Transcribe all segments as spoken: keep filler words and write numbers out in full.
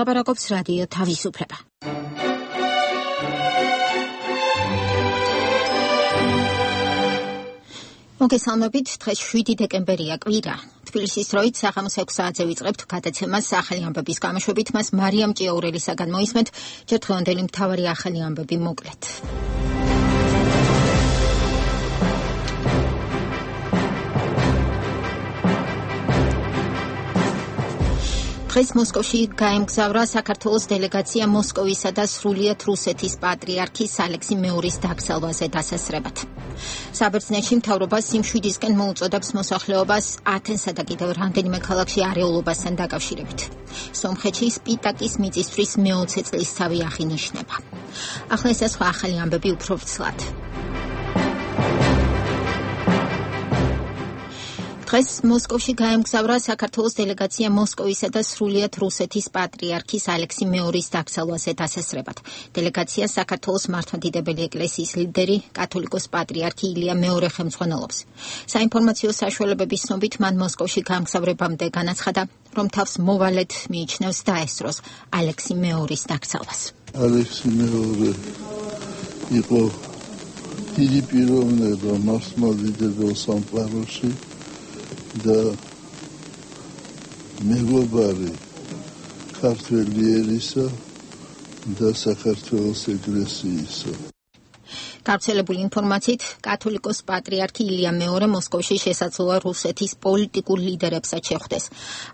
ლაპარაკობს რადიო თავისუფლება. მოგესალმებით, დღეს შვიდი დეკემბერია, კვირა. თბილისის დროით საღამოს ექვს საათზე ვიწყებთ გადაცემას ახალი ამბების გამოშვებით, მას მარიამ ჭიაურელისაგან მოისმენთ, ჯერ დღევანდელი მთავარი ახალი ამბები მოკლედ. დღეს მოსკოვში გაემგზავრა საქართველოს დელეგაცია მოსკოვისა და სრულიად რუსეთის პატრიარქის ალექსი მეორის დაკრძალვაზე დასასრებად. საბერძნეთში მთავრობა სიმშვიდისკენ მოუწოდებს მოსახლეობას ათენსა და კიდევ რამდენიმე ქალაქში არეულობასთან დაკავშირებით. სომხეთში სპიტაკის მიწისთვის მეოცე წლისთავი აღინიშნება. ახლა ეს სხვა ახალი ამბები უფრო ვრცლად. დღეს მოსკოვში გაემგზავრა საქართველოს დელეგაცია მოსკოვისა და სრულიად რუსეთის პატრიარქის ალექსი მეორის დაკრძალვაზე დასასრებად. დელეგაცია საქართველოს მართლმადიდებელი ეკლესიის ლიდერი კათოლიკოს პატრიარქი ილია მეორე ხელმძღვანელობს. საინფორმაციო საშუალებების ცნობით მან მოსკოვში გამგზავრებამდე განაცხადა, რომ თავს მოვალედ მიიჩნევს დაესწროს ალექსი მეორის დაკრძალვას. ალექსი მეორე იყო დიდი პიროვნება მართლმადიდებელ სამყაროში და მეგობარი ქართველი ერისა და საქართველოს ეკლესიისა. გავრცელებული ინფორმაციით, კათოლიკოს პატრიარქი ილია მეორე მოსკოვში შესაძლოა რუსეთის პოლიტიკურ ლიდერებსაც შეხვდეს.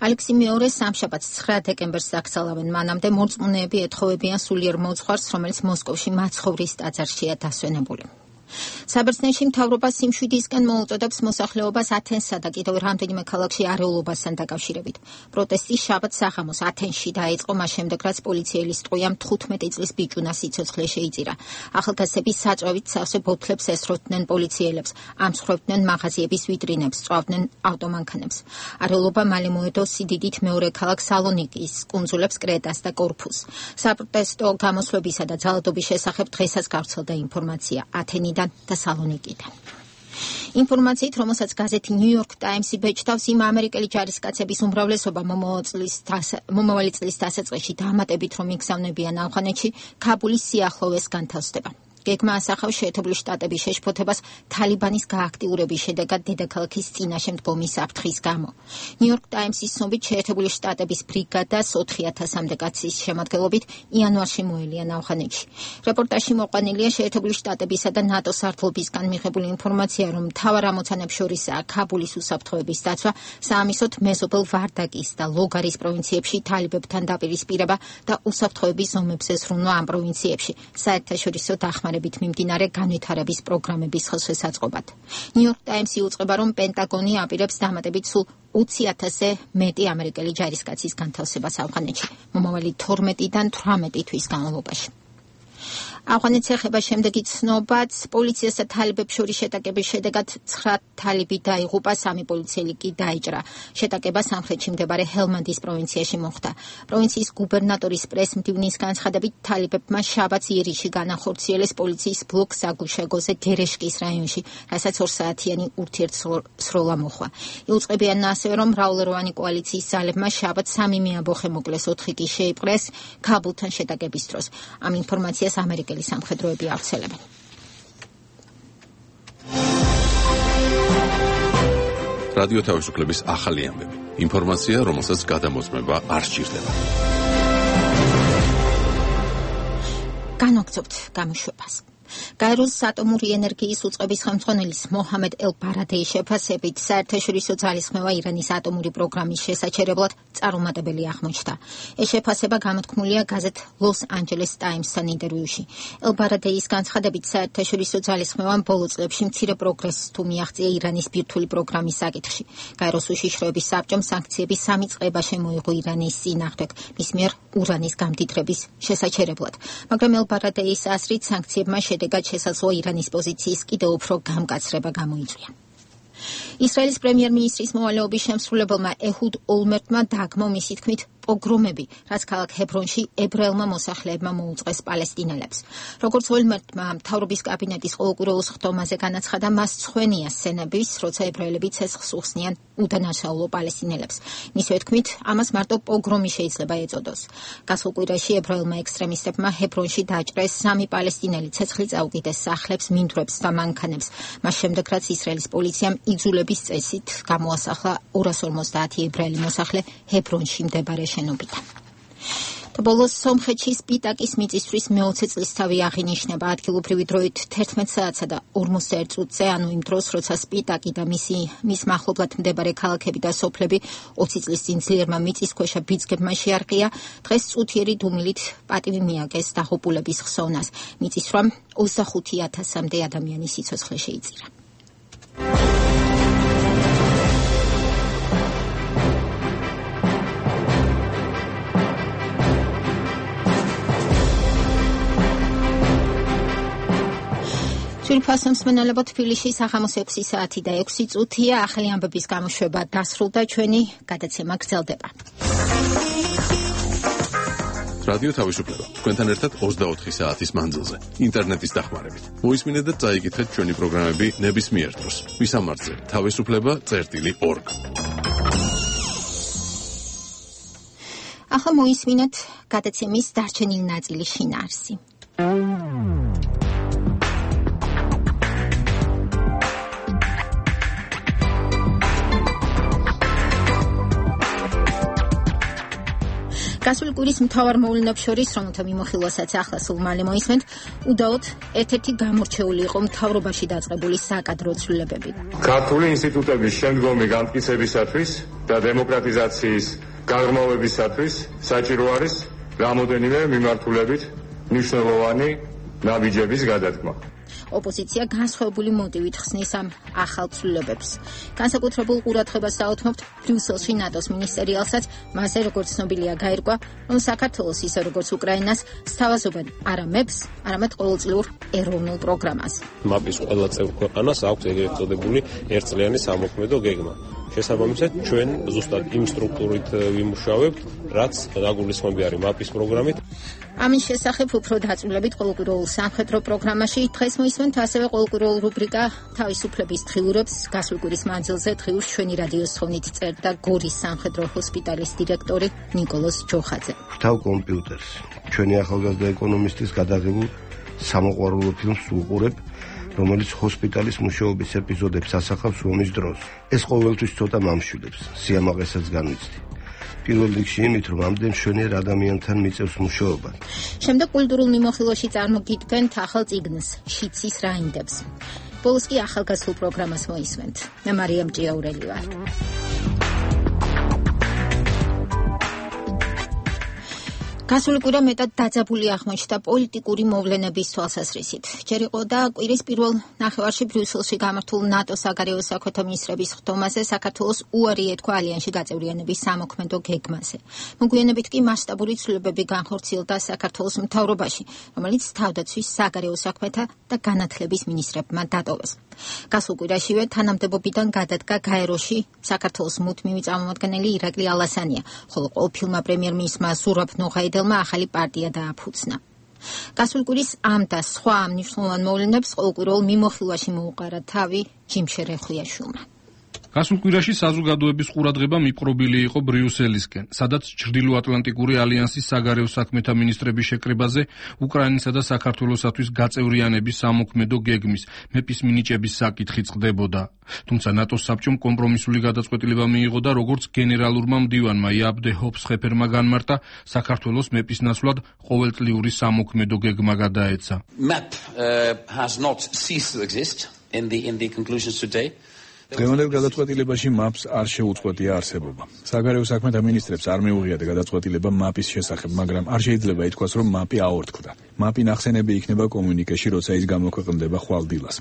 ალექსი მეორე სამშაბათს ცხრა დეკემბერს დაკრძალავენ, მანამდე მორწმუნეები ეთხოვებიან სულიერ მოძღვარს, რომელიც მოსკოვში მაცხოვრის ტაძარშია დასვენებული. საბერძნეთში მთავრობა სიმშვიდისკენ მოუწოდებს მოსახლეობას ათენსა და კიდევ რამდენიმე ქალაქში არეულობასთან დაკავშირებით. პროტესტი შაბათს საღამოს ათენში დაიწყო, მას შემდეგ რაც პოლიციელის ტყვიამ თხუთმეტი წლის ბიჭუნა სიცოცხლე შეიწირა. ახალგაზრდები საწვავით სავსე ბოთლებს ესროთდნენ პოლიციელებს, ამსხვრევდნენ მაღაზიების ვიტრინებს, სწვავდნენ ავტომანქანებს. არეულობა მალე მოედო სიდიდით მეორე ქალაქ სალონიკის, კუნძულებს კრეტას და კორფუს. საპროტესტო გამოსვლებისა და ძალადობის შესახებ დღესაც გავრცელდა ინფორმაცია ათენი და სალონიკიდან. ინფორმაციით, რომელსაც გაზეთი New York Times-ი ბეჭდავს, იმ ამერიკელი ჯარისკაცების უმრავლესობა მომავალი წლის დასაწყისში დამატებით, რომ იგზავნებიან ავღანეთში, ქაბულის სიახლოვეს განთავსდება. გეგმა ასახავს შეერთებული შტატების შეშფოთებას თალიბანის გააქტიურების შედეგად დედაქალაქის წინაშე მდგომი საფრთხის გამო. New York Times-ის ცნობით, შეერთებული შტატების ბრიგადას ოთხი ათასამდე კაცის შემადგენლობით იანვარში მოელიან ავღანეთში. რეპორტაჟში მოყვანილია შეერთებული შტატებისა და ნატოს სარდლობისგან მიღებული ინფორმაცია, რომ მთავარ ამოცანებს შორისაა ქაბულის უსაფრთხოების დაცვა, საამისოდ მეზობელ ვარდაკის და ლოგარის პროვინციებში თალიბებთან დაპირისპირება და უსაფრთხოების ზომებზე ზრუნვა ამ პროვინციებში, საერთაშორისო დახმარებით მიმდინარე განვითარების პროგრამების ხელშესაწყობად. New York Times-ი უწყება, რომ პენტაგონი აპირებს დამატებით სულ ოცი ათასზე მეტი ამერიკელი ჯარისკაცის განთავსებას ავღანეთში, მომავალი თორმეტიდან თვრამეტი თვის განმავლობაში. ავღანეთს ეხება შემდეგი ცნობაც, პოლიციასა თალიბებს შორის შეტაკების შედეგად ცხრა თალიბი დაიღუპა, სამი პოლიციელი კი დაიჭრა. შეტაკება სამხრეთში მდებარე ჰელმანდის პროვინციაში მოხდა. პროვინციის გუბერნატორის პრეს-მდივნის განცხადებით, თალიბებმა შაბათს იერიში განახორციელეს პოლიციის ბლოკ საგუშაგოზე გერეშკის რაიონში, რასაც ორსაათიანი ურთიერთსროლა მოხდა. იუწყებიან ასევე, რომ მრავალეროვანი კოალიციის ძალებმა შაბათს სამი მეამბოხე მოკლეს, ოთხი კი შეიპყრეს ქაბულთან შეტაკების დროს. ამ ინფორმაციას ამერიკელი სამხედროები ავრცელებენ. რადიო თავისუფლების ახალი ამბები. ინფორმაცია, რომელსაც გადამოწმება არ სჭირდება. განვაგრძობთ გამოშვებას. გაეროს ატომური ენერგიის უწყების ხელმძღვანელის მოჰამედ ელ-ბარადეის შეფასებით, საერთაშორისო ძალისხმევა ირანის ატომური პროგრამის შესაჩერებლად წარუმატებელი აღმოჩნდა. ეს შეფასება გამოთქმულია გაზეთ ლოს ანჯელეს ტაიმსთან ინტერვიუში. ელ-ბარადეის განცხადებით, საერთაშორისო ძალისხმევამ ბოლო წლებში მცირე პროგრესს თუ მიაღწია ირანის ბირთვული პროგრამის საკითხში. გაეროს უშიშროების საბჭომ სანქციები სამი წყება შემოიღო ირანის წინააღმდეგ, მის მიერ ურანის გამდიდრების შესაჩერებლად. მაგრამ ელ-ბარადეის აზრით, სანქციებმა შედეგად შესაძლოა ირანის პოზიციის კიდევ უფრო გამკაცრება გამოიწვია. ისრაელის პრემიერ-მინისტრის მოვალეობის შემსრულებელმა ეჰუდ ოლმერტმა დაგმო მისი თქმით პოგრომები, რაც ქალაქ ჰებრონში ებრაელმა მოსახლეებმა მოუწყეს პალესტინელებს. როგორც ოლმერტმა მთავრობის კაბინეტის ყოველკვირეულ სხდომაზე განაცხადა, მას მცხვენია სცენების, როცა ებრაელები ცეცხლს უხსნიან უდანაშაულო პალესტინელებს. მისივე თქმით, ამას მარტო პოგრომი შეიძლება ეწოდოს. გასულ კვირაში ებრაელმა ექსტრემისტებმა ჰებრონში დაჭრეს სამი პალესტინელი ცეცხლი წაუკიდეს სახლებს, მინდვრებს და მანქანებს. მას შემდეგ, რაც ისრაელის პოლიციამ იძულების წესით გამოასახლა ორას ორმოცდაათი ებრაელი მოსახლე ჰებრონში მდებარე შენობიდან. და ბოლოს სომხეთში სპიტაკის მიწისთვის მეოცე წლისთავი აღინიშნება ადგილობრივი დროით თერთმეტ საათსა და ორმოცდაერთ წუთზე, ანუ იმ დროს, როცა სპიტაკი და მისი მის მახლობლად მდებარე ქალაქები და სოფლები ოცი წლის წინ ძლიერმა მიწისქვეშა ბიძგებმა შეარყია, დღეს წუთიერი დუმილით პატივი მიაგეს დაღუპულების ხსოვნას. მიწის სვამ ოცდახუთი ათასამდე ადამიანის სიცოცხლე შეიწირა. Სულფასონს მენალებო თბილისში საღამოს ექვსი საათი და ექვსი წუთია. ახალი ამბების გამოშვება დასრულდა, ჩვენი გადაცემა გრძელდება. რადიო თავისუფლება. თქვენთან ერთად ოცდაოთხი საათის მანძილზე, ინტერნეტის დახმარებით. მოისმინეთ და წაიკითხეთ ჩვენი პროგრამები ნებისმიერ დროს. ვისამართზე თავისუფლება წერტილი ორგ. ახლა მოისმინეთ გადაცემის დარჩენილი ნაწილის შინაარსი. გასული კვირის მთავარ მოვლენებს შორის, რომელთა მიმოხილვასაც ახლა სულ მალე მოისმენთ, უდაოდ ერთ-ერთი გამორჩეული იყო მთავრობაში დაწყებული საკადრო ცვლილებები. ქართული ინსტიტუტების შემდგომი განმტკიცებისათვის და დემოკრატიზაციის გაღრმავებისათვის საჭირო არის რამოდენიმე მიმართულებით მნიშვნელოვანი ნაბიჯების გადადგმა. ოპოზიცია განსხვავებული მოტივით ხსნის ამ ახალ ცვლილებებს. განსაკუთრებულ ყურადღებას დაუთმობთ ბრიუსელში ნატოს მინისტერიალსაც, მასე როგორც ცნობილია გაირკვა, რომ საქართველოს ისე როგორც უკრაინას სთავაზობენ არა მეფს, არამედ ყოველწლიურ ეროვნულ პროგრამას. მაპის ყველა წევრ ქვეყანას აქვს ეგრეთ წოდებული ერთწლიანი სამოქმედო გეგმა. შესაბამისად, ჩვენ ზუსტად იმ სტრუქტურით ვიმუშავებთ, რაც დაგულისხმები არის მაპის პროგრამით. ამის შესახებ უფრო დაწვრილებით ყოველკვირეულ სამხედრო პროგრამაში დღეს მოისმენთ ასევე ყოველკვირეულ რუბრიკა თავისუფლების დღიურებს. გასული კვირის მანძილზე დღიურს ჩვენი რადიოს თხოვნით წერდა გორის სამხედრო ჰოსპიტალის დირექტორი ნიკოლოზ ჯოხაძე. ვთავ კომპიუტერს. ჩვენი ახალგაზრდა ეკონომისტის გადაღებულ სამოყვარულო ფილმს ვუყურებ, რომელიც ჰოსპიტალის მუშაობის ეპიზოდებს ასახავს ომის დროს. ეს ყოველთვის ცოტა მამშვიდებს, სიამაყესაც განვიცდი. პირველ რიგში იმით, რომ ამდენ მშვენიერ ადამიანთან მიწევს მუშაობა. შემდეგ კულტურულ მიმოხილვაში წარმოგიდგენთ ახალ წიგნს, შიცის რაინდებს. ბოლოს კი ახალგაზრდულ პროგრამას მოისმენთ. მე მარიამ ჭიაურელი ვარ. გასული კვირა მეტად დაძაბული აღმოჩნდა პოლიტიკური მოვლენების თვალსაზრისით. ჯერ იყო და კვირის პირველ ნახევარში ბრიუსელში გამართულ ნატოს საგარეო საქმეთა მინისტრების ხდომაზე საქართველოს უარი ეთქვა ალიანსში გაწევრიანების სამოქმედო გეგმაზე. მოგვიანებით კი მასშტაბური ცვლილებები განხორციელდა საქართველოს მთავრობაში, რომელიც თავდაცვის საგარეო საქმეთა და განათლების მინისტრებმა დატოვეს. გასულ კვირაშივე თანამდებობიდან გადადგა გაეროში საქართველოს მუდმივი წარმომადგენელი ირაკლი ალასანია, ხოლო ყოფილმა პრემიერ-მინისტრმა ზურაბ ნოღაიდელმა ახალი პარტია დააფუძნა. გასული კვირის ამ და სხვა მნიშვნელოვან მოვლენებს ყოველკვირეულ მიმოხილვაში მოუყარა თავი ჯიმშერ ეხუიაშვილმა. გასულ კვირაში საზოგადოების ყურადღება მიპყრობილი იყო ბრიუსელისკენ, სადაც ჩრდილოატლანტიკური ალიანსის საგარეო საქმეთა მინისტრების შეკრებაზე უკრაინისა და საქართველოსათვის გაწევრიანების სამოქმედო გეგმის მეპის მინიჭების საკითხი წყდებოდა. თუმცა ნატოს საბჭომ კომპრომისული გადაწყვეტილება მიიღო და როგორც გენერალურმა მდივანმა იაბდე ჰოფსხეფერმა განმარტა, საქართველოს მეპის ნაცვლად ყოველწლიური სამოქმედო გეგმა გადაეცა. map uh, has not ceased to exist in the in the conclusions today. დღევანდელ გადაწყვეტილებაში მაპს არ შეუწყვეტია არსებობა. საგარეო საქმეთა მინისტრებს არ მიუღიათ გადაწყვეტილება მაპის შესახებ, მაგრამ არ შეიძლება ითქვას, რომ მაპი აორთქლდა. მაპი ნახსენები იქნება კომუნიკეში, როცა ის გამოქვეყნდება ხვალ დილას.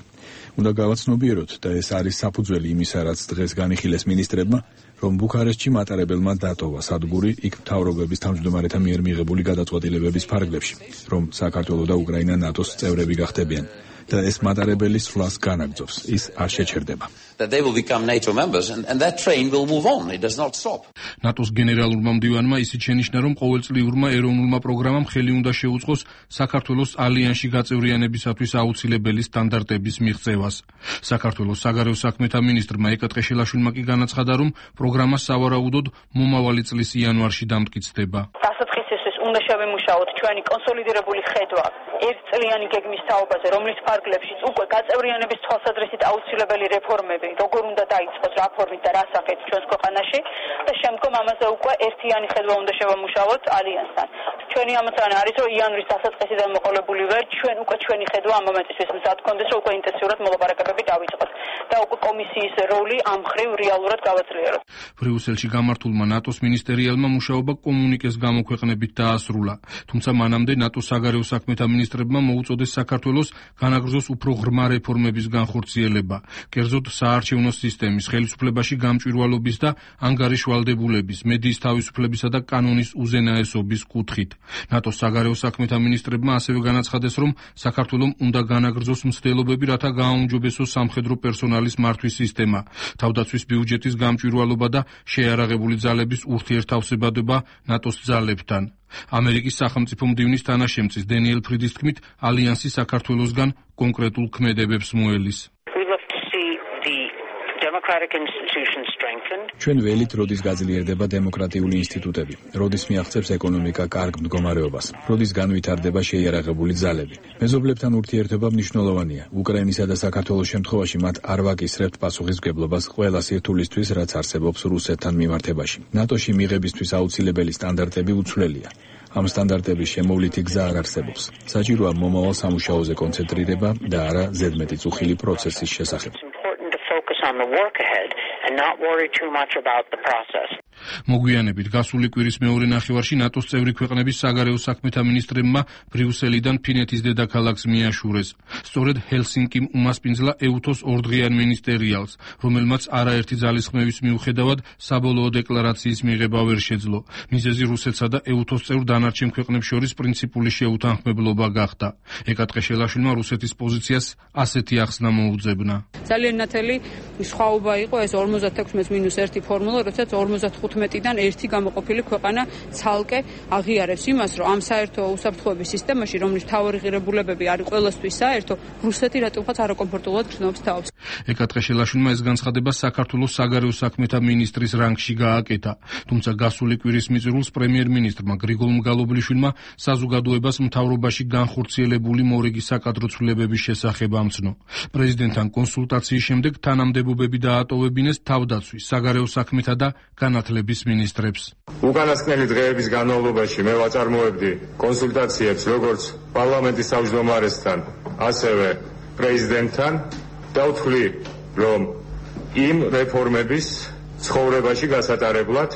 უნდა გავაცნობიეროთ და ეს არის საფუძველი იმისა, რაც დღეს განიხილეს მინისტრებმა, რომ ბუქარესტში მატარებელმა დატოვა სადგური იქ მთავრობების თავმჯდომარეთა მიერ მიღებული გადაწყვეტილებების ფარგლებში, რომ საქართველო და უკრაინა ნატოს წევრები გახდებიან. და ეს მატარებელი სვლას განაგრძობს. ის არ შეჩერდება. That they will become NATO members and, and that train will move on. It does not stop. ნატოს გენერალურმა მდივანმა ისიც შენიშნა, რომ ყოველწლიურმა ეროვნულმა პროგრამამ ხელი უნდა შეუწყოს საქართველოს ალიანსში გაწევრიანებისათვის აუცილებელი სტანდარტების მიღწევას. საქართველოს საგარეო საქმეთა მინისტრმა ეკა ტყეშელაშვილმა კი განაცხადა, რომ პროგრამა სავარაუდოდ მომავალი წლის იანვარში დამტკიცდება. დასაწყისისთვის უნდა შევიმუშაოთ ჩვენი კონსოლიდირებული ხედვა ერთწლიანი გეგმის თაობაზე, რომლის ფარგლებშიც უკვე გაწევრიანების თვალსაზრისით აუცილებელი რეფორმები, როგორ უნდა დაიწყოს რაფორმით და რა სახით ჩვენს ქვეყანაში და შემდგომ ამაზე უკვე ერთიანი ხედვა უნდა შევამუშაოთ ალიანსთან. ჩვენი ამოცანა არის, რომ იანვრის დასაწყისიდან მოყოლებული ვერ, ჩვენ უკვე ჩვენი ხედვა ამ მომენტისთვის მზად გქონდეს, რომ უკვე ინტენსიურად მოლაპარაკებები დავიწყოთ და უკვე კომისიის როლი ამ მხრივ რეალურად გავაძლიეროთ. ბრიუსელში გამართულმა ნატოს მინისტერიალმა მუშაობა კომუნიკეს გამოქვეყნებით დაასრულა, თუმცა მანამდე ნატოს საგარეო საქმეთა მინისტრებმა მოუწოდეს საქართველოს განაგრძოს უფრო ღრმა რეფორმების განხორციელება, კერძოდ საარჩევნო სისტემის, ხელისუფლებაში გამჭვირვალობის და ანგარიშვალდებულების, მედიის თავისუფლებისა და კანონის უზენაესობის კუთხით. ნატოს საგარეო საქმეთა მინისტრებმა ასევე განაცხადეს, რომ საქართველომ უნდა განაგრძოს მცდელობები, რათა გააუმჯობესოს სამხედრო პერსონალის მართვის სისტემა, თავდაცვის ბიუჯეტის გამჭვირვალობა და შეიარაღებული ძალების ურთიერთთავსებადება ნატოს ძალებთან. ამერიკის სახელმწიფო მდივნის თანაშემწის დენიელ ფრიდის თქმით, ალიანსი საქართველოსგან კონკრეტულ ქმედებებს მოელის. ჩვენ ველით, როდის გაძლიერდება დემოკრატიული ინსტიტუტები, როდის მიაღწევს ეკონომიკა კარგ მდგომარეობას, როდის განვითარდება შეიარაღებული ძალები. მეზობლებთან ურთიერთობა მნიშვნელოვანია. უკრაინისა და საქართველოს შემთხვევაში მათ არ ვაკისრებთ პასუხისმგებლობას ყველა სირთულისთვის, რაც არსებობს რუსეთთან მიმართებაში. ნატოში მიღებისთვის აუცილებელი სტანდარტები უცვლელია. ამ სტანდარტების შემოვლითი გზა არ არსებობს. საჭიროა მომავალ სამუშაოზე კონცენტრირება და არა ზედმეტი წუხილი პროცესის შესახებ. On the work ahead and not worry too much about the process. მოგვიანებით გასული კვირის მეორე ნახევარში ნატოს წევრი ქვეყნების საგარეო საქმეთა მინისტრებმა ბრიუსელიდან ფინეთის დედაქალაქს მიაშურეს. სწორედ ჰელსინკიმ უმასპინძლა ეუთოს ორდღიან მინისტერიალს, რომელმაც არაერთი ძალისხმევის მიუხედავად საბოლოო დეკლარაციის მიღება ვერ შეძლო. მიზეზი რუსეთსა და ეუთოს წევრ დანარჩენ ქვეყნებს შორის პრინციპული შეუთანხმებლობა გახდა. ეკა ტყეშელაშვილმა რუსეთის პოზიციას ასეთი ახსნა მოუძებნა. ძალიან ნათელი სხვაობა იყო ეს ორმოცდათექვსმეტ მინუს ერთი ფორმულა, როდესაც ორმოცდათხუთმეტიდან ერთი გამოყოფილი ქვეყანა ცალკე აღიარებს იმას, რომ ამ საერთო უსაფრთხოების სისტემაში, რომლის მთავარი ღირებულებები არის ყველასთვის საერთო, რუსეთი რატომღაც არაკომფორტულად გრძნობს თავს. ეკა ტყეშელაშვილმა ეს განცხადება საქართველოს საგარეო საქმეთა მინისტრის რანგში გააკეთა, თუმცა გასული კვირის მიწირულს პრემიერ-მინისტრმა გრიგოლ მგალობლიშვილმა საზოგადოებას მთავრობაში განხორციელებული მორიგი საკადრო ცვლილებების შესახებ ამცნო. პრეზიდენტთან კონსულტაციის შემდეგ თანამდებობები დაატოვებინეს თავდაცვის, საგარეო საქმეთა და განათლების მინისტრებს. უკანასკნელი დღეების განმავლობაში მე ვაწარმოებდი კონსულტაციებს როგორც პარლამენტის თავმჯდომარესთან, ასევე პრეზიდენტთან და ვთვლი, რომ იმ რეფორმების ცხოვრებაში გასატარებლად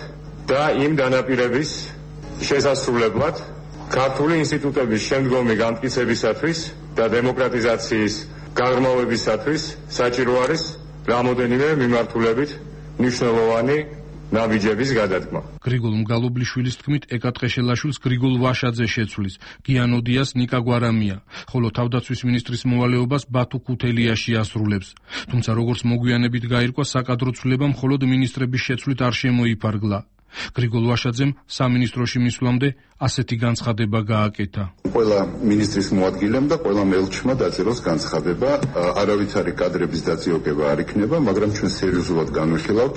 და იმ დანაპირების შესასრულებლად ქართული ინსტიტუტების შემდგომი განმტკიცებისათვის და დემოკრატიზაციის გაღრმავებისათვის საჭირო არის რამოდენიმე მიმართულებით მნიშვნელოვანი ნაბიჯების გადადგმა. გრიგოლ მგალობლიშვილის თქმით, ეკა ტყეშელაშვილს გრიგოლ ვაშაძე შეცვლის, გიანოდიას ნიკა გვარამია, ხოლო თავდაცვის მინისტრის მოვალეობას ბათუ ქუთელიაში ასრულებს. თუმცა როგორც მოგვიანებით გაირკვა, საკადრო ცვლილება მხოლოდ მინისტრების შეცვლით არ შემოიფარგლა. გრიგოლ ვაშაძემ სამინისტროში მისვლამდე ასეთი განცხადება გააკეთა. ყველა მინისტრის მოადგილემ და ყველა მელჩმა დაწეროს განცხადება, არავითარი კადრების დაძიებება არ იქნება, მაგრამ ჩვენ სერიოზულად განვიხილავთ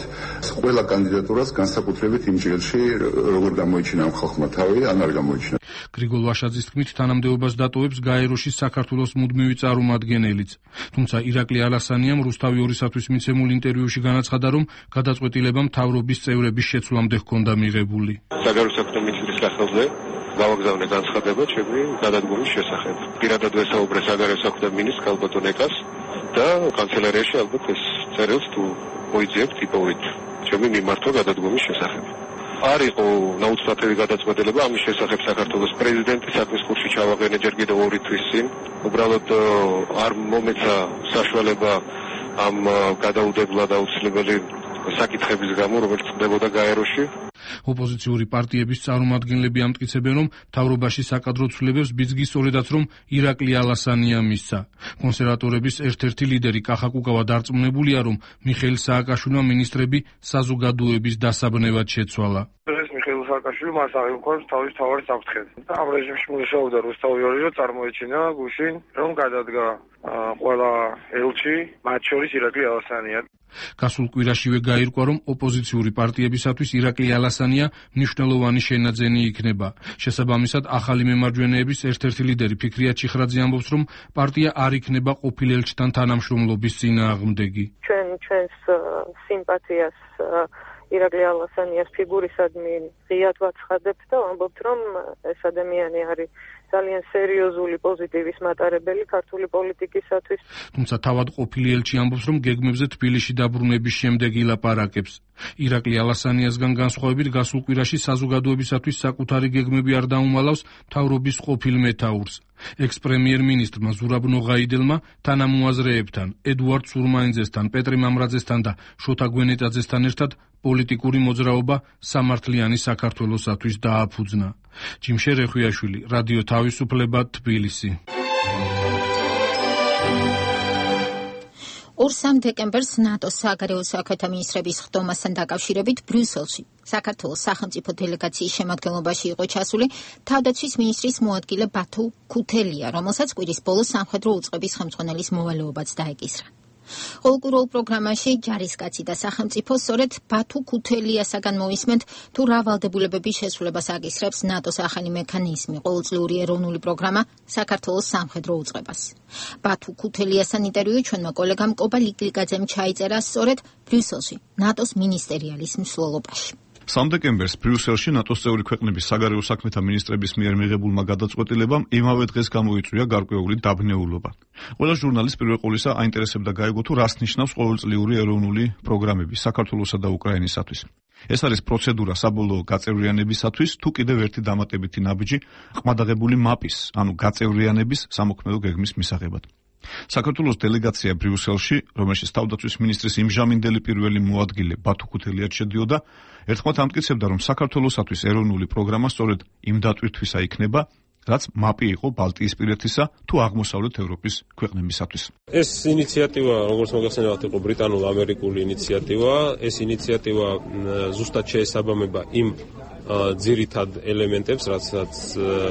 ყველა კანდიდატურას განსაკუთრებით იმ ჯილში, როგორ გამოიჩინა ამ ხალხმა თავი, ან არ გამოიჩინა. გრიგოლ ვაშაძის თქმით, თანამდებობას დატოვებს გაეროში საქართველოს მუდმივი წარმომადგენელიც. თუმცა ირაკლი ალასანიამ რუსთავი ორისათვის მიცემულ ინტერვიუში განაცხადა, რომ გადაწყვეტილება მთავრობის წევრების შეცვლამდე ჰქონდა მიღებული. საგარეო საქმეთა მინისტრის სახელზე გავაგზავნე განცხადება ჩემი გადადგომის შესახებ. პირადად ვესაუბრე საგარეო საქმეთა მინისტრს ქალბატონ ეკას და კანცელარიაში ალბათ ეს წერილს თუ მოიძიებთ იპოვეთ ჩემი მიმართვა გადადგომის შესახებ. არ იყო ნაუცბათელი გადაწყვეტილება ამის შესახებ საქართველოს პრეზიდენტი საქმის კურსში ჩავაყენე ჯერ კიდევ ორი თვის წინ. უბრალოდ არ მომეცა საშუალება ამ გადაუდებლად აუცილებელი საკითხების გამო, რომელიც ხდებოდა გაეროში. ოპოზიციური პარტიების წარმომადგენლები ამტკიცებენ, რომ მთავრობაში საკადრო ცვლილებებს ბიძგის სწორედაც რომ ირაკლი ალასანია მისცა. კონსერვატორების ერთ-ერთი ლიდერი კახა კუკავა დარწმუნებულია, რომ მიხეილ სააკაშვილმა მინისტრები საზოგადოების დასაბნევად შეცვალა. ეს მიხეილ სააკაშვილი მას აღიქვამს თავის თავარი საფრთხედ. ამ რეჟიმში მუშაობდა რუსთავი ორი, წარმოეჩინა გუშინ, რომ გადადგა ყველა ელჩი, მათ შორის ირაკლი ალასანია. გასულ კვირაშივე გაირკვა, რომ ოპოზიციური პარტიებისათვის ირაკლი ალასანია მნიშვნელოვანი შენაძენი იქნება. შესაბამისად, ახალი მემარჯვენეების ერთ-ერთი ლიდერი ფიქრია ჩიხრაძე ამბობს, რომ პარტია არ იქნება ყოფილ ელჩთან თანამშრომლობის წინააღმდეგი. ჩვენ ჩვენს სიმპათიას ირაკლი ალასანიას ფიგურისადმი ღიად ვაცხადებთ და ვამბობთ, რომ ეს ადამიანი არის ძალიან სერიოზული პოზიტივის მატარებელი ქართული პოლიტიკისათვის. თუმცა თავად ყოფილი ელჩი ამბობს, რომ გეგმებზე თბილისში დაბრუნების შემდეგ ილაპარაკებს. ირაკლი ალასანიასგან განსხვავებით გასულ კვირაში საზოგადოებისათვის საკუთარი გეგმები არ დაუმალავს მთავრობის ყოფილ მეთაურს. ექს-პრემიერ-მინისტრმა ზურაბ ნოღაიდელმა თანამოაზრეებთან, ედუარდ სურმაინძესთან, პეტრე მამრაძესთან და შოთა გვენეტაძესთან ერთად პოლიტიკური მოძრაობა სამართლიანი საქართველოსათვის დააფუძნა. ჯიმშე რეხვიაშვილი, რადიო თავისუფლება, თბილისი. ორ-სამ დეკემბერს ნატოს საგარეო საქმეთა მინისტრების ხდომასთან დაკავშირებით ბრიუსელში საქართველოს სახელმწიფო დელეგაციის შემადგენლობაში იყო ჩასული თავდაცვის მინისტრის მოადგილე ბათუ ქუთელია, რომელსაც კვირის ბოლოს სამხედრო უწყების ხელმძღვანელის მოვალეობაც დაეკისრა. ყოველკვირეულ პროგრამაში ჯარისკაცი და სახელმწიფო სწორედ ბათუ ქუთელიასაგან მოვისმენთ, თუ რა ვალდებულებების შესრულებას აკისრებს ნატოს ახალი მექანიზმი, ყოველწლიური ეროვნული პროგრამა საქართველოს სამხედრო უწყებას. ბათუ ქუთელიასთან ინტერვიუ ჩვენმა კოლეგამ კობა ლიკლიკაძემ ჩაიწერა სწორედ ბრიუსელში, ნატოს მინისტერიალის მსვლელობაში. სამ დეკემბერს ბრიუსელში ნატოს წევრი ქვეყნების საგარეო საქმეთა მინისტრების მიერ მიღებულმა გადაწყვეტილებამ იმავე დღეს გამოიწვია გარკვეული დაბნეულობა. ყველა ჟურნალის პირველ ყოვლისა აინტერესებდა გაიგო, თუ რას ნიშნავს ყოველწლიური ეროვნული პროგრამები საქართველოსა და უკრაინისათვის. ეს არის პროცედურა საბოლოო გაწევრიანებისათვის, თუ კიდევ ერთი დამატებითი ნაბიჯი ყმადაღებული მაპის, ანუ გაწევრიანების სამოქმედო გეგმის მისაღებად. საქართველოს დელეგაცია ბრიუსელში, რომელშიც თავდაცვის მინისტრის იმჟამინდელი პირველი მოადგილე ბათუ ქუთელიაც შედიოდა, ერთხმად ამტკიცებდა, რომ საქართველოსათვის ეროვნული პროგრამა სწორედ იმ დატვირთვისა იქნება, რაც მაპი იყო ბალტიისპირეთისა თუ აღმოსავლეთ ევროპის ქვეყნებისათვის. ეს ინიციატივა, როგორც მოგახსენებათ, იყო ბრიტანულ-ამერიკული ინიციატივა. ეს ინიციატივა ზუსტად შეესაბამება იმ ძირითად ელემენტებს, რაც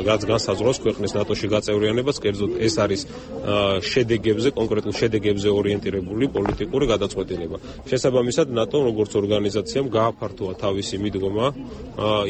რაც განსაზღვრავს ქვეყნის ნატოში გაწევრიანებას, კერძოდ ეს არის შედეგებზე, კონკრეტულ შედეგებზე ორიენტირებული პოლიტიკური გადაწყვეტილება. შესაბამისად, ნატო როგორც ორგანიზაციამ გააფართოვა თავისი მიდგომა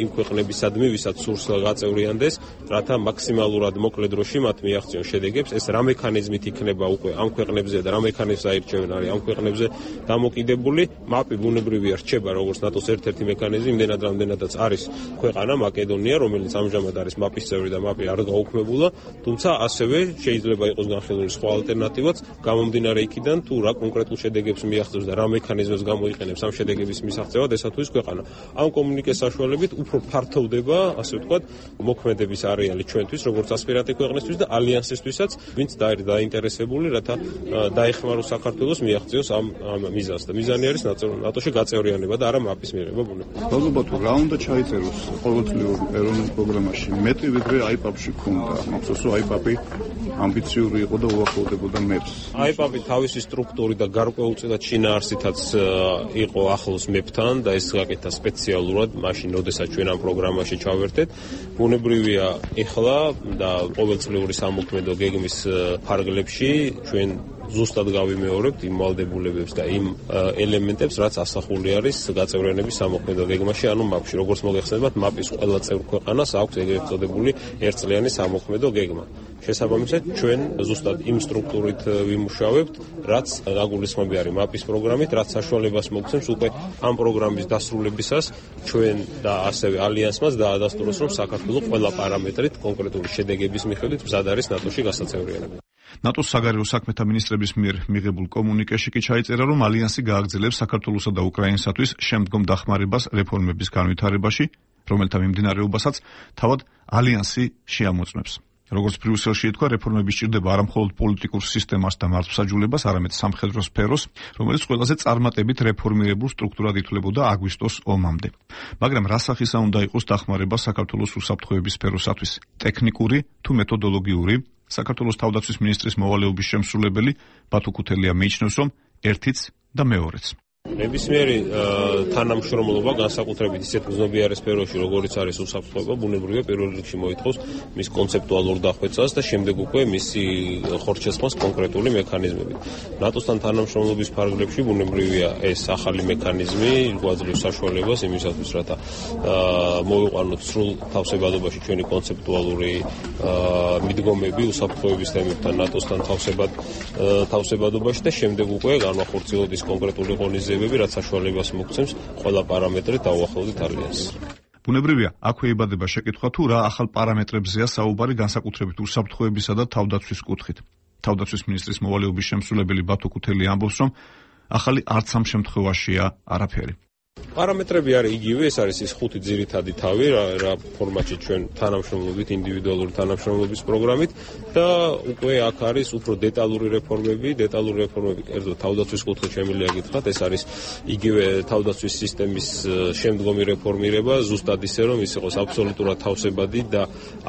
იმ ქვეყნებისადმი, ვისაც სურს გაწევრიანდეს, რათა მაქსიმალურად მოკლე დროში მათ მიაღწიონ შედეგებს. ეს რა მექანიზმით იქნება უკვე ამ ქვეყნებზე და რა მექანიზმს აირჩევენ არის ამ ქვეყნებზე დამოკიდებული. მაპი ბუნებრივია რჩება როგორც ნატოს ერთ-ერთი მექანიზმი, იმდენად რამდენადაც არის ქვეყანა მაკედონია, რომელიც ამჟამად არის მაპის წევრი და მაპი არ გაუქმებულა, თუმცა ასევე შეიძლება იყოს განხილული სხვა ალტერნატივაც, გამომდინარე იქიდან, თუ რა კონკრეტულ შედეგებს მიაღწევს და რა მექანიზმებს გამოიყენებს ამ შედეგების მისაღწევად ესა თუ ის ქვეყანა. ამ კომუნიკეს საშუალებით უფრო ფართოვდება, ასე ვთქვათ, მოქმედების არეალი ჩვენთვის, როგორც ასპირანტი ქვეყნისთვის და ალიანსისთვისაც, ვინც დაინტერესებული, რათა დაეხმაროს საქართველოს მიაღწიოს ამ ამ მიზანს და მიზანი არის ნატოში გაწევრიანება და არა მაპის მიღება ბუნებრივია. ალბათ რა უნდა ჩაიწეროს ყოველწლიურ ეროვნულ პროგრამაში მეტი ვიდრე აიპაპში ქონდა. მახსოვს რომ აიპაპი ამბიციური იყო და უახლოვდებოდა მეფს. აიპაპი თავისი სტრუქტურით და გარკვეულწილად შინაარსითაც იყო ახლოს მეფთან და ეს გაკეთა სპეციალურად მაშინ, როდესაც ჩვენ ამ პროგრამაში ჩავერთეთ. ბუნებრივია ეხლა და ყოველწლიური სამოქმედო გეგმის ფარგლებში ჩვენ ზუსტად გავიმეორებთ იმ ვალდებულებებს და იმ ელემენტებს, რაც ასახული არის გაწევრიანების სამოქმედო გეგმაში, ანუ მაპში. როგორც მოგეხსენებათ, მაპის ყველა წევრ ქვეყანას აქვს ეგრეთ წოდებული ერთწლიანი სამოქმედო გეგმა. შესაბამისად, ჩვენ ზუსტად იმ სტრუქტურით ვიმუშავებთ, რაც დაგულისხმები არის მაპის პროგრამით, რაც საშუალებას მოგცემს უკვე ამ პროგრამის დასრულებისას ჩვენ და ასევე ალიანსმაც დაადასტუროს, რომ საქართველოს ყველა პარამეტრით კონკრეტული შედეგების მიხედვით მზად არის ნატოში გასაწევრიანება. ნატოს საგარეო საქმეთა მინისტრების მიერ მიღებულ კომუნიკეში კი ჩაიწერა, რომ ალიანსი გააგრძელებს საქართველოსა და უკრაინისათვის შემდგომ დახმარებას რეფორმების განვითარებაში, რომელთა მიმდინარეობასაც თავად ალიანსი შეამოწმებს. როგორც ბრიუსელში ითქვა, რეფორმები სჭირდება არა მხოლოდ პოლიტიკურ სისტემას და მართლმსაჯულებას, არამედ სამხედრო სფეროს, რომელიც ყველაზე წარმატებით რეფორმირებულ სტრუქტურად ითვლებოდა აგვისტოს ომამდე. მაგრამ რა სახისა უნდა იყოს დახმარება საქართველოს უსაფრთხოების სფეროსათვის? ტექნიკური თუ მეთოდოლოგიური? საქართველოს თავდაცვის მინისტრის მოვალეობის შემსრულებელი ბათუ ქუთელია მიიჩნევს, რომ ერთიც და მეორეც. ნებისმიერი თანამშრომლობა განსაკუთრებით ისეთ გზნობიარე სფეროში, როგორიც არის უსაფრთხოება, ბუნებრივია პირველ რიგში მოითხოვს მის კონცეპტუალურ დახვეწას და შემდეგ უკვე მისი ხორცშესხმას კონკრეტული მექანიზმებით. ნატოსთან თანამშრომლობის ფარგლებში ბუნებრივია ეს ახალი მექანიზმი გვაძლევს საშუალებას იმისათვის, რათა მოვიყვანოთ სრულ თავსებადობაში ჩვენი კონცეპტუალური მიდგომები უსაფრთხოების თემებთან ნატოსთან თავსებადობაში და შემდეგ უკვე განვახორციელოთ ის კონკრეტული ღონისძიებები, რაც საშუალებას მოგცემს ყველა პარამეტრით დაუახლოვდეთ ალიანსს. ბუნებრივია, აქვე იბადება შეკითხვა თუ რა ახალ პარამეტრებზეა საუბარი განსაკუთრებით უსაფრთხოებისა და თავდაცვის კუთხით. თავდაცვის მინისტრის მოვალეობის შემსრულებელი ბათუ ქუთელი ამბობს, რომ ახალი არც ამ შემთხვევაშია არაფერი. პარამეტრები არის იგივე, ეს არის ის ხუთი ძირითადი თავი, რა, რა ფორმატში ჩვენ თანამშრომლობით, ინდივიდუალური თანამშრომლობის პროგრამით და უკვე აქ არის უფრო დეტალური რეფორმები, დეტალური რეფორმები, კერძო თავდაცვის კუთხით შემიძლია გითხრათ, ეს არის იგივე თავდაცვის სისტემის შემდგომი რეფორმირება, ზუსტად ისე რომ ის იყოს აბსოლუტურად თავსებადი და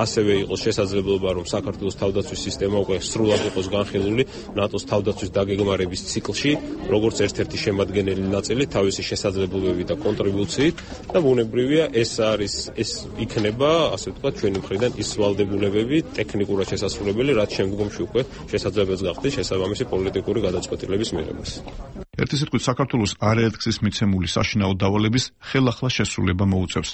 ასევე იყოს შესაძლებლობა, რომ საქართველოს თავდაცვის სისტემა უკვე სრულად იყოს განხილული ნატოს თავდაცვის დაგეგმარების ციკლში, როგორც ერთ-ერთი შემადგენელი ნაწილი თავისი შესაძლებლობებით და კონტრიბუციით და ბუნებრივია ეს არის ეს იქნება ასე ვთქვათ ჩვენი მხრიდან ის ვალდებულებები ტექნიკურად შესაძლებელი, რაც შემდგომში უკვე შესაძლებელს გახდეს შესაბამისი პოლიტიკური გადაწყვეტილების მიღებას. ერთი სიტყვით საქართველოს არაერთგზის მიცემული საშინაო დავალების ხელახლა შესრულება მოუწევს.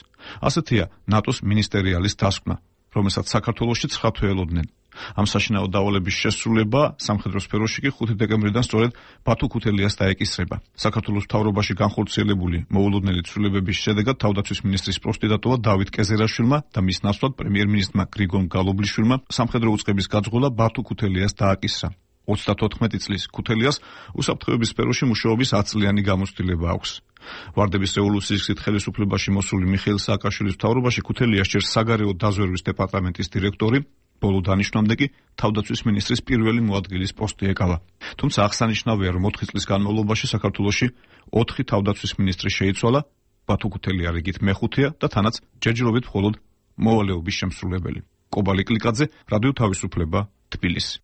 ასეთია ნატოს მინისტერიალის დასკვნა, რომელსაც საქართველოში ცხრა თვე ელოდნენ. ამ საშინაო დავალების შესრულება სამხედრო სფეროში კი ხუთი დეკემბრიდან სწორედ ბათუ ქუთელიას დაეკისრება. საქართველოს მთავრობაში განხორციელებული მოულოდნელი ცვლილებების შედეგად თავდაცვის მინისტრის პოსტი დატოვა დავით კეზერაშვილმა და მის ნაცვლად პრემიერ-მინისტრმა გრიგორ გალობლიშვილმა სამხედრო უწყების გაძღოლა ბათუ ქუთელიას დააკისრა. ოცდათოთხმეტი წლის ქუთელიას უსაფრთხოების სფეროში მუშაობის ათი წლიანი გამოცდილება აქვს. ვარდების რევოლუციის გზით ხელისუფლებაში მოსული მიხეილ სააკაშვილის მთავრობაში ქუთელიას ჯერ საგარეო დაზვერვის დეპარტამენტის დირექტორი, ბოლო დანიშნამდე კი თავდაცვის მინისტრის პირველი მოადგილის პოსტი ეკავა. თუმცა აღსანიშნავია, რომ ოთხი წლის განმავლობაში საქართველოში ოთხი თავდაცვის მინისტრი შეიცვალა, ბათუ ქუთელია რიგით მეხუთეა და თანაც ჯერჯერობით მხოლოდ მოვალეობის შემსრულებელი. კობალი კლიკაძე, რადიო თავისუფლება, თბილისი.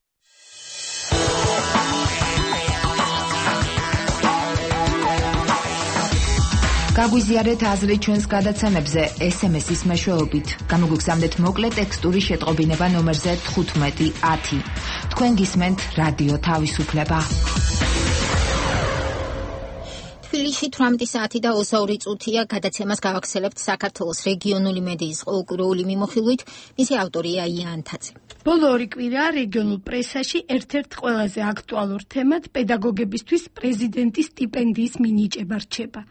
გაგვიზიარეთ აზრი ჩვენს გადაცემებზე ეს ემ ესის მეშვეობით. გამოგვიგზავნეთ მოკლე ტექსტური შეტყობინება ნომერზე თხუთმეტი ათი. თქვენ გისმენთ რადიო თავისუფლება. თბილისში თვრამეტი საათი და ოცდაორი წუთია. გადაცემას გავახსენებთ საქართველოს რეგიონული მედიის ყოველკვირეული მიმოხილვით. მისი ავტორია იან თაძე. ბოლო ორი კვირა რეგიონულ პრესაში ერთ-ერთ ყველაზე აქტუალურ თემად პედაგოგებისთვის პრეზიდენტის სტიპენდიის მინიჭება რჩება.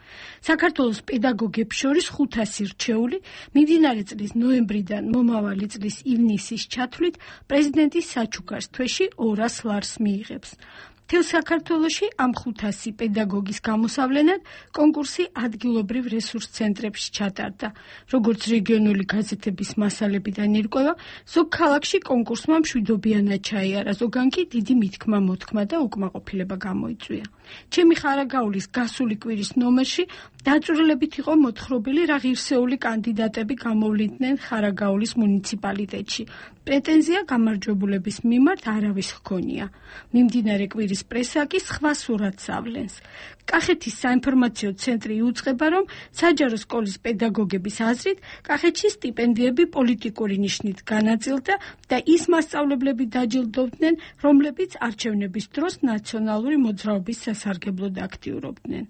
საქართველოს პედაგოგებს შორის ხუთასი რჩეული მიმდინარე წლის ნოემბრიდან მომავალი წლის ივნისის ჩათვლით პრეზიდენტის საჩუქარს თვეში ორას ლარს მიიღებს. მთელ საქართველოში ამ ხუთასი პედაგოგის გამოსავლენად კონკურსი ადგილობრივ რესურს ცენტრებში ჩატარდა. როგორც რეგიონული გაზეთების მასალებიდან ირკვევა, ზოგ ქალაქში კონკურსმა მშვიდობიანად ჩაიარა, ზოგან კი დიდი მითქმა-მოთქმა და უკმაყოფილება გამოიწვია. ჩემი ხარაგაულის გასული კვირის ნომერში დაწვრილებით იყო მოთხრობილი რა ღირსეული კანდიდატები გამოვლიდნენ ხარაგაულის მუნიციპალიტეტში. პრეტენზია გამარჯვებულების მიმართ არავის ჰქონია. მიმდინარე კვირის პრესა კი სხვა სურათს ავლენს. კახეთის საინფორმაციო ცენტრი იუწყება, რომ საჯარო სკოლის პედაგოგების აზრით კახეთში სტიპენდიები პოლიტიკური ნიშნით განაწილდა და ის მასწავლებლები დაჯილდოვდნენ, რომლებიც არჩევნების დროს ნაციონალური მოძრაობის სასარგებლოდ აქტიურობდნენ.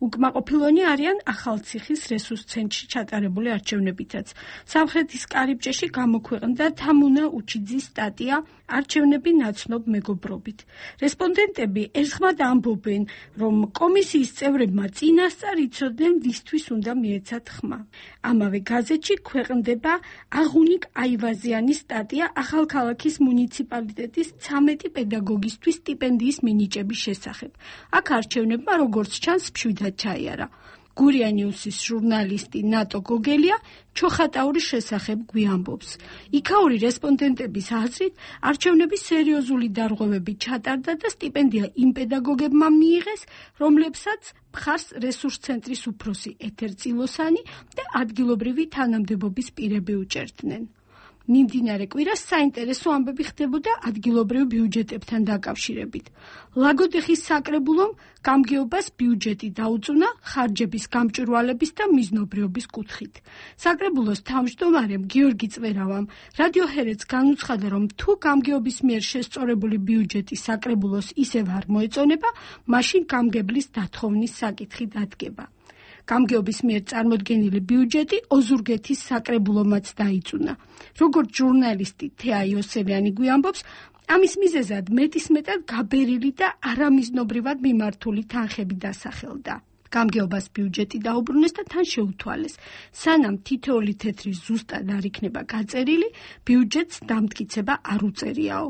უკმაყოფილონი არიან ახალციხის რესურს ცენტრში ჩატარებული არჩევნებითაც. სამხრეთის კარიბჭეში გამოქვეყნდა თამუნა უჩიძის სტატია არჩევნები ნაცნობ მეგობრობით. რესპონდენტები ერთხმად ამბობენ, რომ კომისიის წევრებმა წინასწარ იცოდნენ ვისთვის უნდა მიეცათ ხმა. ამავე გაზეთში ქვეყნდება აღუნიკ აივაზიანის სტატია ახალქალაქის მუნიციპალიტეტის ცამეტი პედაგოგისთვის სტიპენდიის მინიჭების შესახებ. აქ არჩევნებმა როგორც ჩანს მშვიდად ჩაიარა. გურია ნიუსის ჟურნალისტი ნატო გოგელია ჩოხატაურის შესახებ გვიამბობს. იქაური რესპონდენტების აზრით, არჩევნები სერიოზული დარღვევებით ჩატარდა და სტიპენდია იმ პედაგოგებმა მიიღეს, რომლებსაც მხარს რესურს ცენტრის უფროსი ეთერ წილოსანი და ადგილობრივი თანამდებობის პირები უჭერდნენ. მიმდინარე კვირას საინტერესო ამბები ხდებოდა ადგილობრივ ბიუჯეტებთან დაკავშირებით. ლაგოდეხის საკრებულომ გამგეობას ბიუჯეტი დაუწუნა ხარჯების გამჭვირვალების და მიზნობრიობის კუთხით. საკრებულოს თავმჯდომარემ გიორგი წვერავამ რადიო ჰერეთს განუცხადა, რომ თუ გამგეობის მიერ შესწორებული ბიუჯეტი საკრებულოს ისევ არ მოეწონება, მაშინ გამგებლის დათხოვნის საკითხი დადგება. გამგეობის მიერ წარმოდგენილი ბიუჯეტი ოზურგეთის საკრებულომაც დაიწუნა. როგორც ჟურნალისტი თეა იოსელიანი გვიამბობს, ამის მიზეზად მეტისმეტად გაბერილი და არამიზნობრივად მიმართული თანხები დასახელდა. გამგეობას ბიუჯეტი დაუბრუნეს და თან შეუთვალეს. სანამ თითოეული თეთრი ზუსტად არ იქნება გაწერილი, ბიუჯეტს დამტკიცება არ უწერიაო.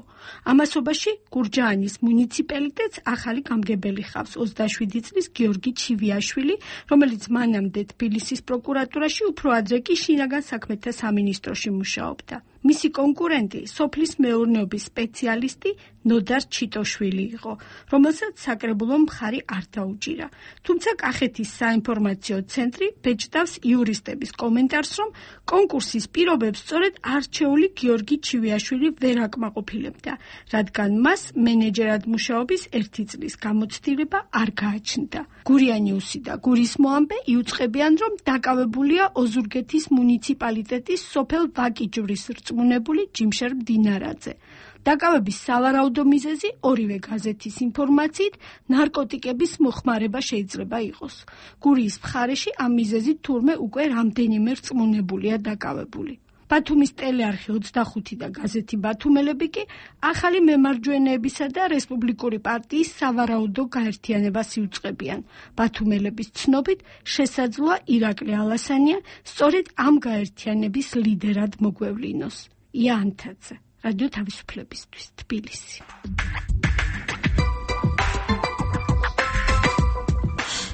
ამასობაში გურჯაანის მუნიციპალიტეტს ახალი გამგებელი ხავს ოცდაშვიდი წლის გიორგი ჩივიაშვილი, რომელიც მანამდე თბილისის პროკურატურაში, უფრო ადრე კი შინაგან საქმეთა სამინისტროში მუშაობდა. მისი კონკურენტი სოფლის მეურნეობის სპეციალისტი ნოდარ ჩიტოშვილი იყო, რომელსაც საკრებულომ მხარი არ დაუჭირა. თუმცა კახეთის საინფორმაციო ცენტრი ბეჭდავს იურისტების კომენტარს, რომ კონკურსის პირობებს სწორედ არჩეული გიორგი ჩივიაშვილი ვერ აკმაყოფილებდა, რადგან მას მენეჯერად მუშაობის ერთი წლის გამოცდილება არ გააჩნდა. გურია ნიუსი და გურის მოამბე იუწყებიან, რომ დაკავებულია ოზურგეთის მუნიციპალიტეტის სოფელ ვაკიჯვრის რწმუნებული ჯიმშერ მდინარაძე. დაკავების სავარაუდო მიზეზი ორივე გაზეთის ინფორმაციით ნარკოტიკების მოხმარება შეიძლება იყოს. გურიის მხარეში ამ მიზეზით თურმე უკვე რამდენიმე რწმუნებულია დაკავებული. ბათუმის ტელეარხი ოცდახუთი და გაზეთი ბათუმელები კი ახალი მემარჯვენეებისა და რესპუბლიკური პარტიის სავარაუდო გაერთიანებას იუწყებიან. ბათუმელების ცნობით შესაძლოა ირაკლი ალასანია სწორედ ამ გაერთიანების ლიდერად მოგვევლინოს. ია ანთაძე, რადიო თავისუფლებისთვის, თბილისი.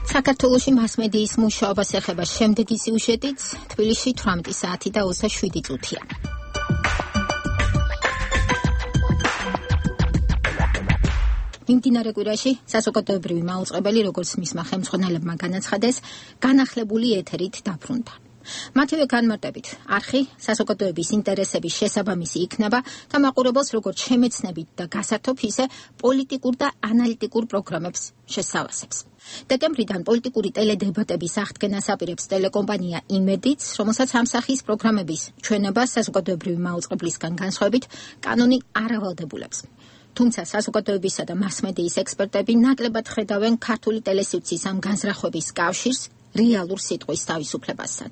საქართველოში მასმედიის მუშაობას ეხება შემდეგი სიუჟეტიც, თბილისში თვრამეტი საათი და ოცდაშვიდი წუთია. მიმდინარე კვირაში საზოგადოებრივი მაუწყებელი, როგორც მისმა ხელმძღვანელებმა განაცხადეს, განახლებული ეთერით დაბრუნდა. მათივე განმარტებით, არხი საზოგადოების ინტერესების შესაბამისი იქნება და მაყურებელს როგორც შემეცნებით და გასართობ, ისე პოლიტიკურ და ანალიტიკურ პროგრამებს შესავასებს. დეკემბრიდან პოლიტიკური ტელედებატების აღდგენას აპირებს ტელეკომპანია იმედიც, რომელსაც ამ სახის პროგრამების ჩვენება საზოგადოებრივი მაუწყებლისგან განსხვავებით კანონი არ ავალდებულებს. თუმცა საზოგადოებისა და მასმედიის ექსპერტები ნაკლებად ხედავენ ქართული ტელესივრცის ამ განზრახვების კავშირს რეალურ სიტყვის თავისუფლებასთან.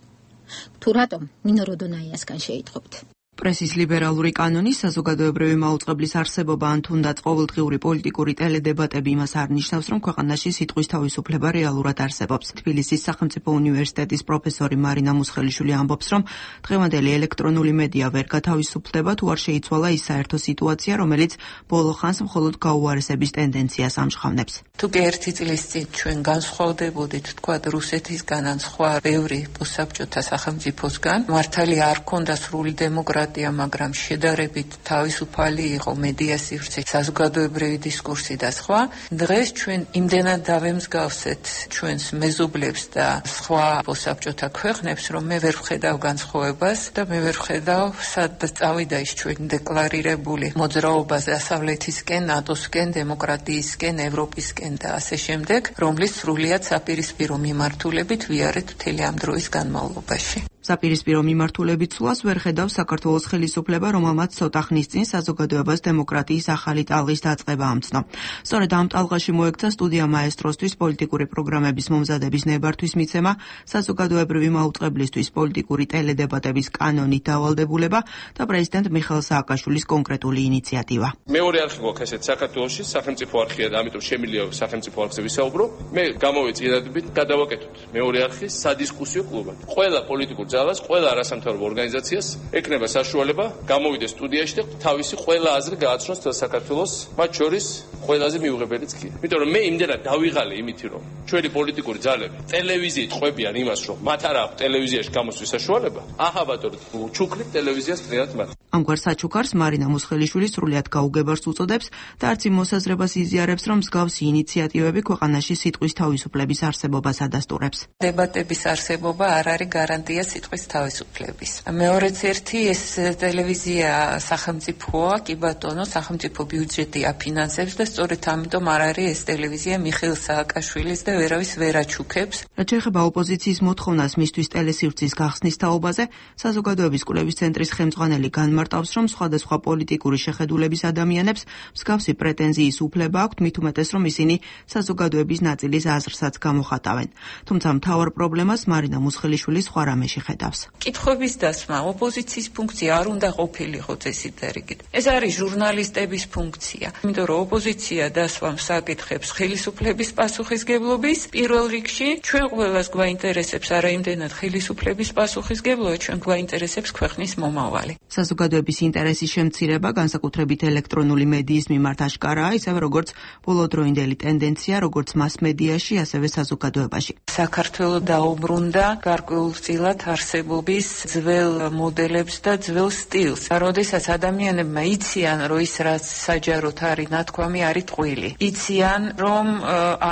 თუ რატომ ნინო როდონაიასგან შეიტყობთ? პრესის ლიბერალური კანონი საზოგადოებრივი მაუწყებლის არსებობა ან თუნდაც ყოველდღიური პოლიტიკური ტელედებატები იმას არ ნიშნავს, რომ ქვეყანაში სიტყვის თავისუფლება რეალურად არსებობს. თბილისის სახელმწიფო უნივერსიტეტის პროფესორი მარინა მუსხელიშვილი ამბობს, რომ დღევანდელი ელექტრონული მედია ვერ გათავისუფლდება, თუ არ შეიცვალა ის საერთო სიტუაცია, რომელიც ბოლო ხანს მხოლოდ გაუარესების ტენდენციას ამჟღავნებს. თუ კი ერთი წლის წინ ჩვენ განსხვავდებოდით, თქვა რუსეთისგან ან სხვა ბევრი პოსტსაბჭოთა სახელმწიფოსგან, მართალი არ ქონდა სრული დემოკრატია, მაგრამ შედარებით თავისუფალი იყო მედია სივრცე, საზოგადოებრივი დისკურსი და სხვა. დღეს ჩვენ იმდენად დავემსგავსეთ ჩვენს მეზობლებს და სხვა პოსტსაბჭოთა ქვეყნებს, რომ მე ვერ ვხედავ განსხვავებას და მე ვერ ვხედავ სადაც წავიდა ის ჩვენ დეკლარირებული მოძრაობა დასავლეთისკენ, ნატოსკენ, დემოკრატიისკენ, ევროპისკენ და ასე შემდეგ, რომლის სრულიად საპირისპირო მიმართულებით ვიარეთ მთელი ამ დროის განმავლობაში. საპირისპირო მიმართულებით სულას ვერ ხედავს საქართველოს ხელისუფლება, რომელმაც ცოტა ხნის წინ საზოგადოებას დემოკრატიის ახალი ტალღის დაწყება ამცნო. სწორედ ამ ტალღაში მოექცა სტუდია მაესტროსთვის პოლიტიკური პროგრამების მომზადების ნებართვის მიცემა, საზოგადოებრივი მაუწყებლისთვის პოლიტიკური ტელედებატების კანონით დავალდებულება და პრეზიდენტ მიხეილ სააკაშვილის კონკრეტული ინიციატივა. მეორე არხი გვაქვს ესეთ საქართველოში, სახელმწიფო არხია და ამიტომ შემიძლია სახელმწიფო არხზე ვისაუბრო. მე გამოვეწიედებით გადავაკეთოთ მეორე არხის სადისკუსიო კლუბად. ყველა პოლიტიკურ ძალას, ყველა არასამთავრობო ორგანიზაციას ეკნება საშუალება გამოვიდეს სტუდიაში და თავისი ყველა აზრი გააცნოს თელ საქართველოს, მათ შორის ყველაზე მიუღებელიც კი. იმიტომ რომ მე იმდენად დავიღალე იმითი რომ ჩვენი პოლიტიკური ძალები ტელევიზიით ყვებიან იმას რომ მათ არ აქვს ტელევიზიაში გამოსვლის საშუალება, აჰა ბატონო, ჩუქნით ტელევიზიას პრიად მათ. ამგვარ საჩუქარს მარინა მუსხელიშვილი სრულიად გაუგებარს უწოდებს და არც იმ მოსაზრებას იზიარებს, რომ მსგავსი ინიციატივები ქვეყანაში სიტყვის თავისუფლების არსებობას ადასტურებს. დებატების არსებობა არ არის გარანტია სიტყვის თავისუფლების. მეორეც ერთი ეს ტელევიზია სახელმწიფოა, კი ბატონო, სახელმწიფო ბიუჯეტი აფინანსებს და სწორედ ამიტომ არ არის ეს ტელევიზია მიხეილ სააკაშვილის და ვერავის ვერ აჩუქებს. რაც შეეხება ოპოზიციის მოთხოვნას მისთვის ტელესივრცის გახსნის თაობაზე, საზოგადოების კვლევის ცენტრის ხელმძღვანელი განმარტავს, რომ სხვადასხვა პოლიტიკური შეხედულების ადამიანებს მსგავსი პრეტენზიის უფლება აქვთ, მით უმეტეს რომ ისინი საზოგადოების ნაწილის აზრსაც გამოხატავენ. თუმცა მთავარ პრობლემას მარინა მუსხელიშვილი სხვა რამეში ხედავს. კითხვების დასმა, ოპოზიციის ფუნქცია არ უნდა ყოფილიყო წესით დარიგით. ეს არის ჟურნალისტების ფუნქცია. იმიტომ რომ ოპოზიცია დასვამს საკითხებს ხელისუფლების პასუხისგებლობის პირველ რიგში, ჩვენ ყველას გვაინტერესებს არა იმდენად ხელისუფლების პასუხისგებლობა, ჩვენ გვაინტერესებს ქვეყნის მომავალი. საზოგადოების ინტერესის შემცირება, განსაკუთრებით ელექტრონული მედიის მიმართ აშკარაა, ისევე როგორც ბოლოდროინდელი ტენდენცია, როგორც მასმედიაში, ასევე საზოგადოებაში. საქართველო დაუბრუნდა გარკვეულწილად არსებობის ძველ მოდელებს და ძველ სტილს. როდესაც ადამიანებმა იციან, რომ ის რაც საჯაროდ არის ნათქვამი, არის ტყვილი. იციან, რომ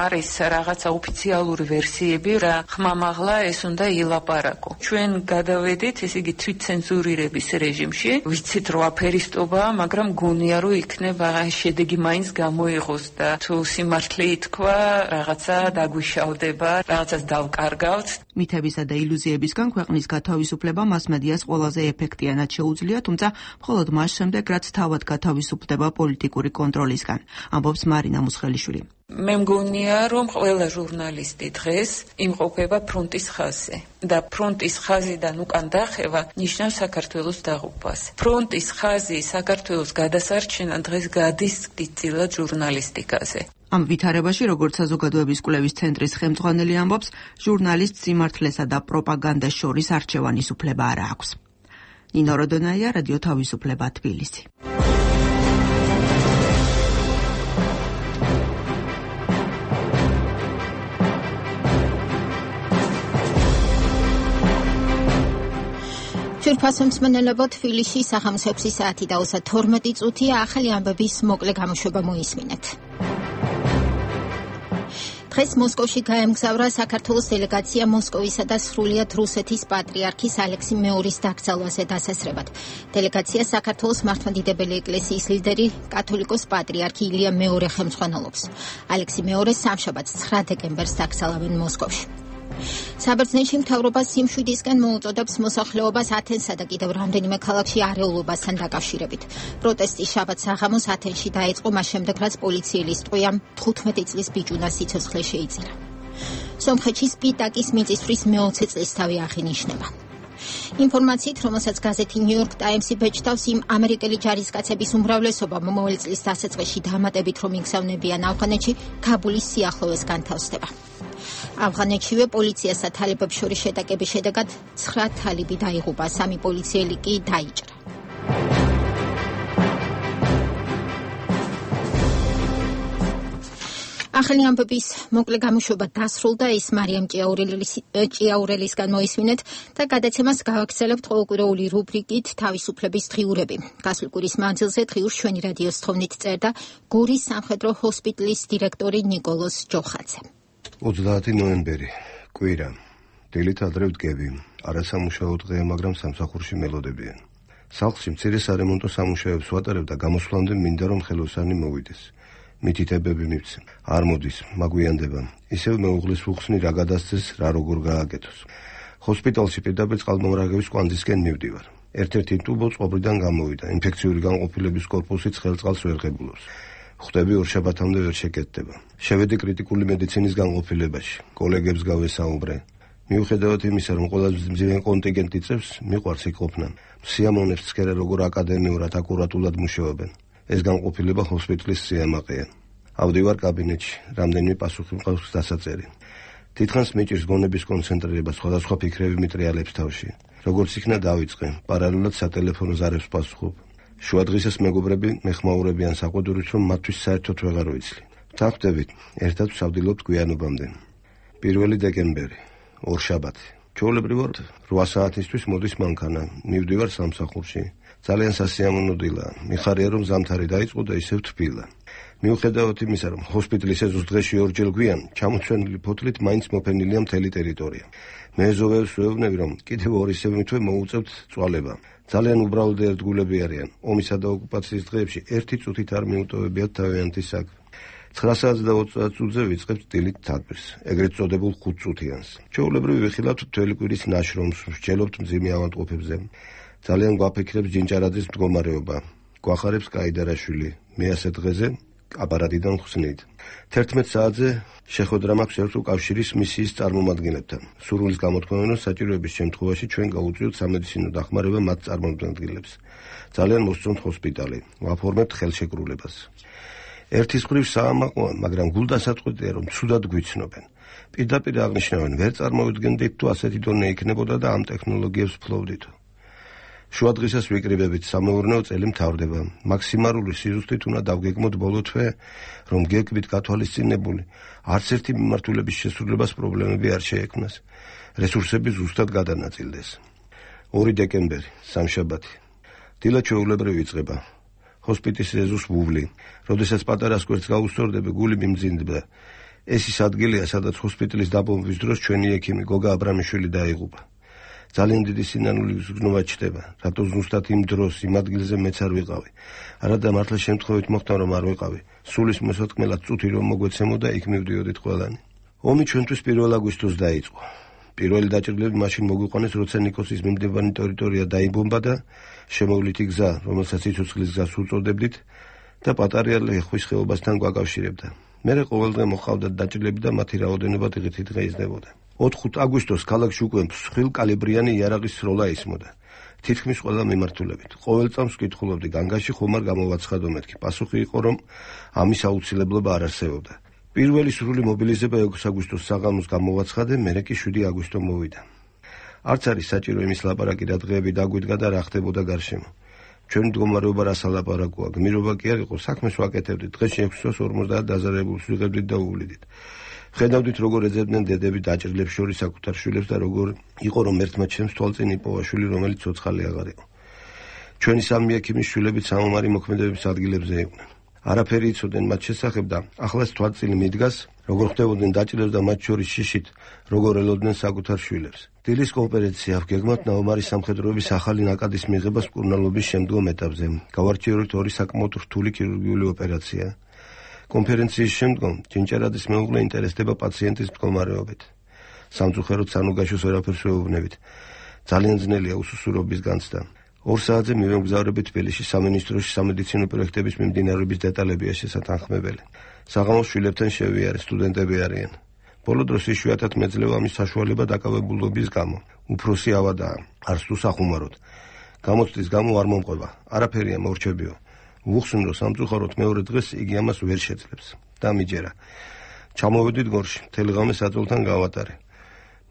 არის რაღაცა ოფიციალური ვერსიები, რა ხმამაღლა ეს უნდა ილაპარაკო. ჩვენ გადავედით, ესე იგი თვითცენზურირების რეჟიმში. ვიცით, რომ აფერისტობაა, მაგრამ გონია, რომ იქნება შედეგი მაინც გამოიღოს და თუ სიმართლე ითქვა, რაღაცა დაგვიშავდება, რაღაცას დავკარგავთ. მითებისა და ილუზიებისგან ქვეყნის გათავისუფლება მასმედიას ყველაზე ეფექტიანად შეუძლია, თუმცა მხოლოდ მას შემდეგ, რაც თავად გათავისუფლდება პოლიტიკური კონტროლისგან, ამბობს მარინა მუსხელიშვილი. მე მგონია, რომ ყველა ჟურნალისტი დღეს იმყოფება ფრონტის ხაზზე და ფრონტის ხაზიდან უკან დახევა ნიშნავს საქართველოს დაღუპვას. ფრონტის ხაზი საქართველოს გადასარჩენა დღეს გადის დიდწილად ჟურნალისტიკაზე. ამ ვითარებაში, როგორც საზოგადოების კვლევის ცენტრის ხელმძღვანელი ამბობს, ჟურნალისტს სიმართლესა და პროპაგანდას შორის არჩევანის უფლება არ აქვს. ნინო როდონაია, რადიო თავისუფლება, თბილისი. ჯერფასო მსმენელებო, თბილისში საღამოს ექვსი საათი და ოცდათორმეტი წუთია, ახალი ამბების მოკლე გამოშვება მოისმინეთ. დღეს მოსკოვში გაემგზავრა საქართველოს დელეგაცია მოსკოვისა და სრულიად რუსეთის პატრიარქის ალექსი მეორის დაკრძალვაზე დასასრებად. დელეგაცია საქართველოს მართლმადიდებელი ეკლესიის ლიდერი კათოლიკოს პატრიარქი ილია მეორე ხელმძღვანელობს. ალექსი მეორე სამშაბათს ცხრა დეკემბერს დაკრძალავენ მოსკოვში. საბერძნეთში მთავრობა სიმშვიდისკენ მოუწოდებს მოსახლეობას ათენსა და კიდევ რამდენიმე ქალაქში არეულობასთან დაკავშირებით. პროტესტი შაბათს საღამოს ათენში დაიწყო, მას შემდეგ რაც პოლიციელის ტყვიამ თხუთმეტი წლის ბიჭუნას სიცოცხლე შეიწირა. სომხეთში სპიტაკის მიწისძვრის მეოცე წლისთავი აღინიშნება. ინფორმაციით, რომელსაც გაზეთი New York Times-ი ბეჭდავს, იმ ამერიკელი ჯარისკაცების უმრავლესობა მომავალი წლის დასაწყისში დამატებით რომ იგზავნებიან ავღანეთში, ქაბულის სიახლოვეს განთავსდება. ავღანეთშივე პოლიციასა თალებებს შორის შეტაკების შედეგად ცხრა თალიბი დაიღუპა, სამი პოლიციელი კი დაიჭრა. ახალი ამბების მოკლე გამოშვება დასრულდა, ის მარიამ ჭიაურელისგან მოისმინეთ და გადაცემას გავაგრძელებთ ყოველკვირეული რუბრიკით თავისუფლების დღიურები. გასული კვირის მანძილზე დღიურს ჩვენი რადიოს თხოვნით წერდა გორის სამხედრო ჰოსპიტალის დირექტორი ნიკოლოზ ჯოხაძე. ოცდაათი ნოემბერი, კვირა. დილით ადრე ვდგები. არასამუშაო დღეა, მაგრამ სამსახურში მელოდებიან. სახლში მცირე სარემონტო სამუშაოებს ვატარებ და გამოსვლამდე მინდა რომ ხელოსანი მოვიდეს. მითითებები მივცე. არ მოდის, მაგვიანდება. ისევ მეუღლის უხსნი რა გადასცეს, რა როგორ გააკეთოს. ჰოსპიტალში პირდაპირ წყალმომრაგების კვანძისკენ მივდივარ. ერთ-ერთი ტუბო წყობრიდან გამოვიდა. ინფექციური განყოფილების კორპუსი ცხელწყალს ვერ ღებულობს. ხვდები ორშაბათამდე ვერ შეკეთდება. შევედი კრიტიკული მედიცინის განყოფილებაში. კოლეგებს გავესაუბრე. მიუხედავად იმისა, რომ ყველაზე მძიმე კონტინგენტი წევს, მიყვარს იქ ყოფნა. სიამოვნებს ცქერა როგორ აკადემიურად აკურატულად მუშაობენ. ეს განყოფილება ჰოსპიტალის სიამაყეა. ავდივარ კაბინეტში, რამდენიმე პასუხი მყავს დასაწერი. თითქოს მიჭირს გონების კონცენტრირება სხვადასხვა ფიქრები მიტრიალებს თავში. როგორც იქნა დავიწყე, პარალელურად სატელეფონო ზარებს პასუხობ. შუადღისას მეგობრები მეხმაურებიან საყვედურით, რომ მათთვის საერთოდ ვეღარ ვიცლი. ვთანხმდებით, ერთად ვსავდილობთ გვიანობამდე. პირველი დეკემბერი, ორშაბათი. ჩვეულებრივად რვა საათისთვის მოდის მანქანა. მივდივარ სამსახურში. ძალიან სასიამოვნო დილა. მიხარია რომ ზამთარი დაიწყო და ისევ თბილა. მიუხედავად იმისა, რომ ჰოსპიტალის ეზოს დღეში ორჯერ გვიან, ჩამოცვენილი ფოთლით მაინც მოფენილია მთელი ტერიტორია. მე ზოვებს ვეუბნები, რომ კიდევ ორი სემინთვე მოუწევთ წვალება. ძალიან უბრალოდ ერთგულები არიან. ომისა და ოკუპაციის დღეებში ერთი წუთით არ მიუტოვებიათ თავიანთი საქმე. ცხრა საათს და ოცდაათ წუთზე ვიწყებთ დილით თათბირს, ეგრეთ წოდებულ ხუთ წუთიანს. ჩვეულებრივ ვიხილავთ მთელი კვირის ნაშრომს, ვსჯელობთ მძიმე ავადმყოფებზე. ძალიან გვაფიქრებს ჯინჭარაძის მდგომარეობა. გვახარებს კაიდარაშვილი. მე ასე დღეზე აპარატიდან ხსნით. თერთმეტ საათზე შეხვედრა მაქვს ერთ უკავშირის მისიის წარმომადგენლებთან. სურვილის გამოთქმევინო საჭიროების შემთხვევაში ჩვენ გაუწევთ სამედიცინო დახმარება მათ წარმომადგენლებს. ძალიან მოსწონთ ჰოსპიტალი. ვაფორმებთ ხელშეკრულებას. ერთის მხრივ საამაყოა, მაგრამ გულდასაწყვეტია, რომ ცუდად გვიცნობენ. პირდაპირ აღნიშნავენ, ვერ წარმოვიდგენდით თუ ასეთი დონე იქნებოდა და ამ ტექნოლოგიებს ფლობდით. შუადღისას ვიკრიბებით, სამეურნეო წელი მთავრდება. მაქსიმალური სიზუსტით უნდა დავგეგმოთ ბოლო თვე, რომ გეკვით გათვალისწინებული, არც ერთი მიმართულების შესრულებას პრობლემები არ შეექმნას. რესურსები ზუსტად გადანაწილდეს. ორი დეკემბერი, სამშაბათი. დილა ჩვეულებრივ იწყება. ჰოსპიტალის ეზოს ვუვლი. როდესაც პატარას კვერცხს გაუსწორდები, გული მიმძიმდება. ეს ის ადგილია, სადაც ჰოსპიტალის დაბომბვის დროს ჩვენი ექიმი გოგა აბრამიშვილი დაიღუპა. ძალიან დიდი სინანული გზნობა ჩდება, რატო ზუსტად იმ დროს იმ ადგილზე მეც არ ვიყავი. არადა მართლა შემთხვევით მოხდა რომ არ ვიყავი. სულის მოსათქმელად წუთი რომ მოგვეცემოდა, იქ მივდიოდით ყველანი. ომი ჩვენთვის პირველ აგვისტოს დაიწყო. პირველი დაჭრილები მაშინ მოგვიყვანეს, როცა ნიკოსის მიმდებარე ტერიტორია დაიბომბა და შემოვლითი გზა, რომელსაც სიცოცხლის გზას უწოდებდით და პატარა ლეხვის ხეობასთან გვაკავშირებდა. მერე ყოველდღე მოხავდათ დაჭრილები და მათი რაოდენობა დღითიდღე დღეიზდებოდა. ოთხ აგვისტოს ქალაქში უკვე მსხვილ კალიბრიანი იარაღის სროლა ისმოდა. თითქმის ყველა მიმართულებით. ყოველ წამს ვკითხულობდი, განგაში ხომ არ გამოვაცხადო მეთქი. პასუხი იყო, რომ ამის აუცილებლობა არ არსებობდა. პირველი სრული მობილიზება ექვსი აგვისტოს საღამოს გამოვაცხადე, მერე კი შვიდი აგვისტო მოვიდა. არც არის საჭირო იმის ლაპარაკი, რა დღეები დაგვიდგა და რა ხდებოდა გარშემო. ჩვენ მდგომარეობა რა სალაპარაკოა, გმირობა კი არ იყო, საქმეს ვაკეთებდით. დღეში ექვსს ორმოცდაათ დაზარებულს ვიღებდით და უვლიდით. ხედავდით როგორ ეძებდნენ დედები დაჭრილებს შორის საკუთარ შვილებს და როგორ იყო რომ ერთმა ჩემს თვალწინ იპოვა შვილი, რომელიც ცოცხალი აღარ იყო. ჩვენი სამი ექიმის შვილებით სამომარი მოქმედების ადგილებზე იყვნენ. არაფერი იცოდნენ მათ შესახებ და ახლაც თვალწინ მიდგას, როგორ ხდებოდნენ დაჭრილებს და მათ შორის შიშით, როგორ ელოდნენ საკუთარ შვილებს. დილის კონფერენცია ვგეგმავთ ნაომარი სამხედროების ახალი ნაკადის მიღებას მკურნალობის შემდგომ ეტაპზე. გავარჩიოთ ორი საკმაოდ რთული ქირურგიული ოპერაცია. კონფერენციის შემდგომ ჯინჭარაძის მეუღლე ინტერესდება პაციენტის მდგომარეობით. სამწუხაროდ სანუგაშოს ვერაფერს ვეუბნებით. ძალიან ძნელია უსუსურობის განცდა. ორ საათზე მივემგზავრებით თბილისში სამინისტროში სამედიცინო პროექტების მიმდინარეობის დეტალებია შესათანხმებელი. საღამოს შვილებთან შევიარე, სტუდენტები არიან. ბოლო დროს იშვიათად მეძლევა ამის საშუალება დაკავებულობის გამო. უფროსი ავადაა, არც თუ სახუმაროდ. გამოცდის გამო არ მომყვება, არაფერია მორჩებიო. ვუხსნ რომ სამწუხაროდ მეორე დღეს იგი ამას ვერ შეძლებს. დამიჯერა. ჩამოვედით გორში, მთელი ღამე საძოლთან გავატარე.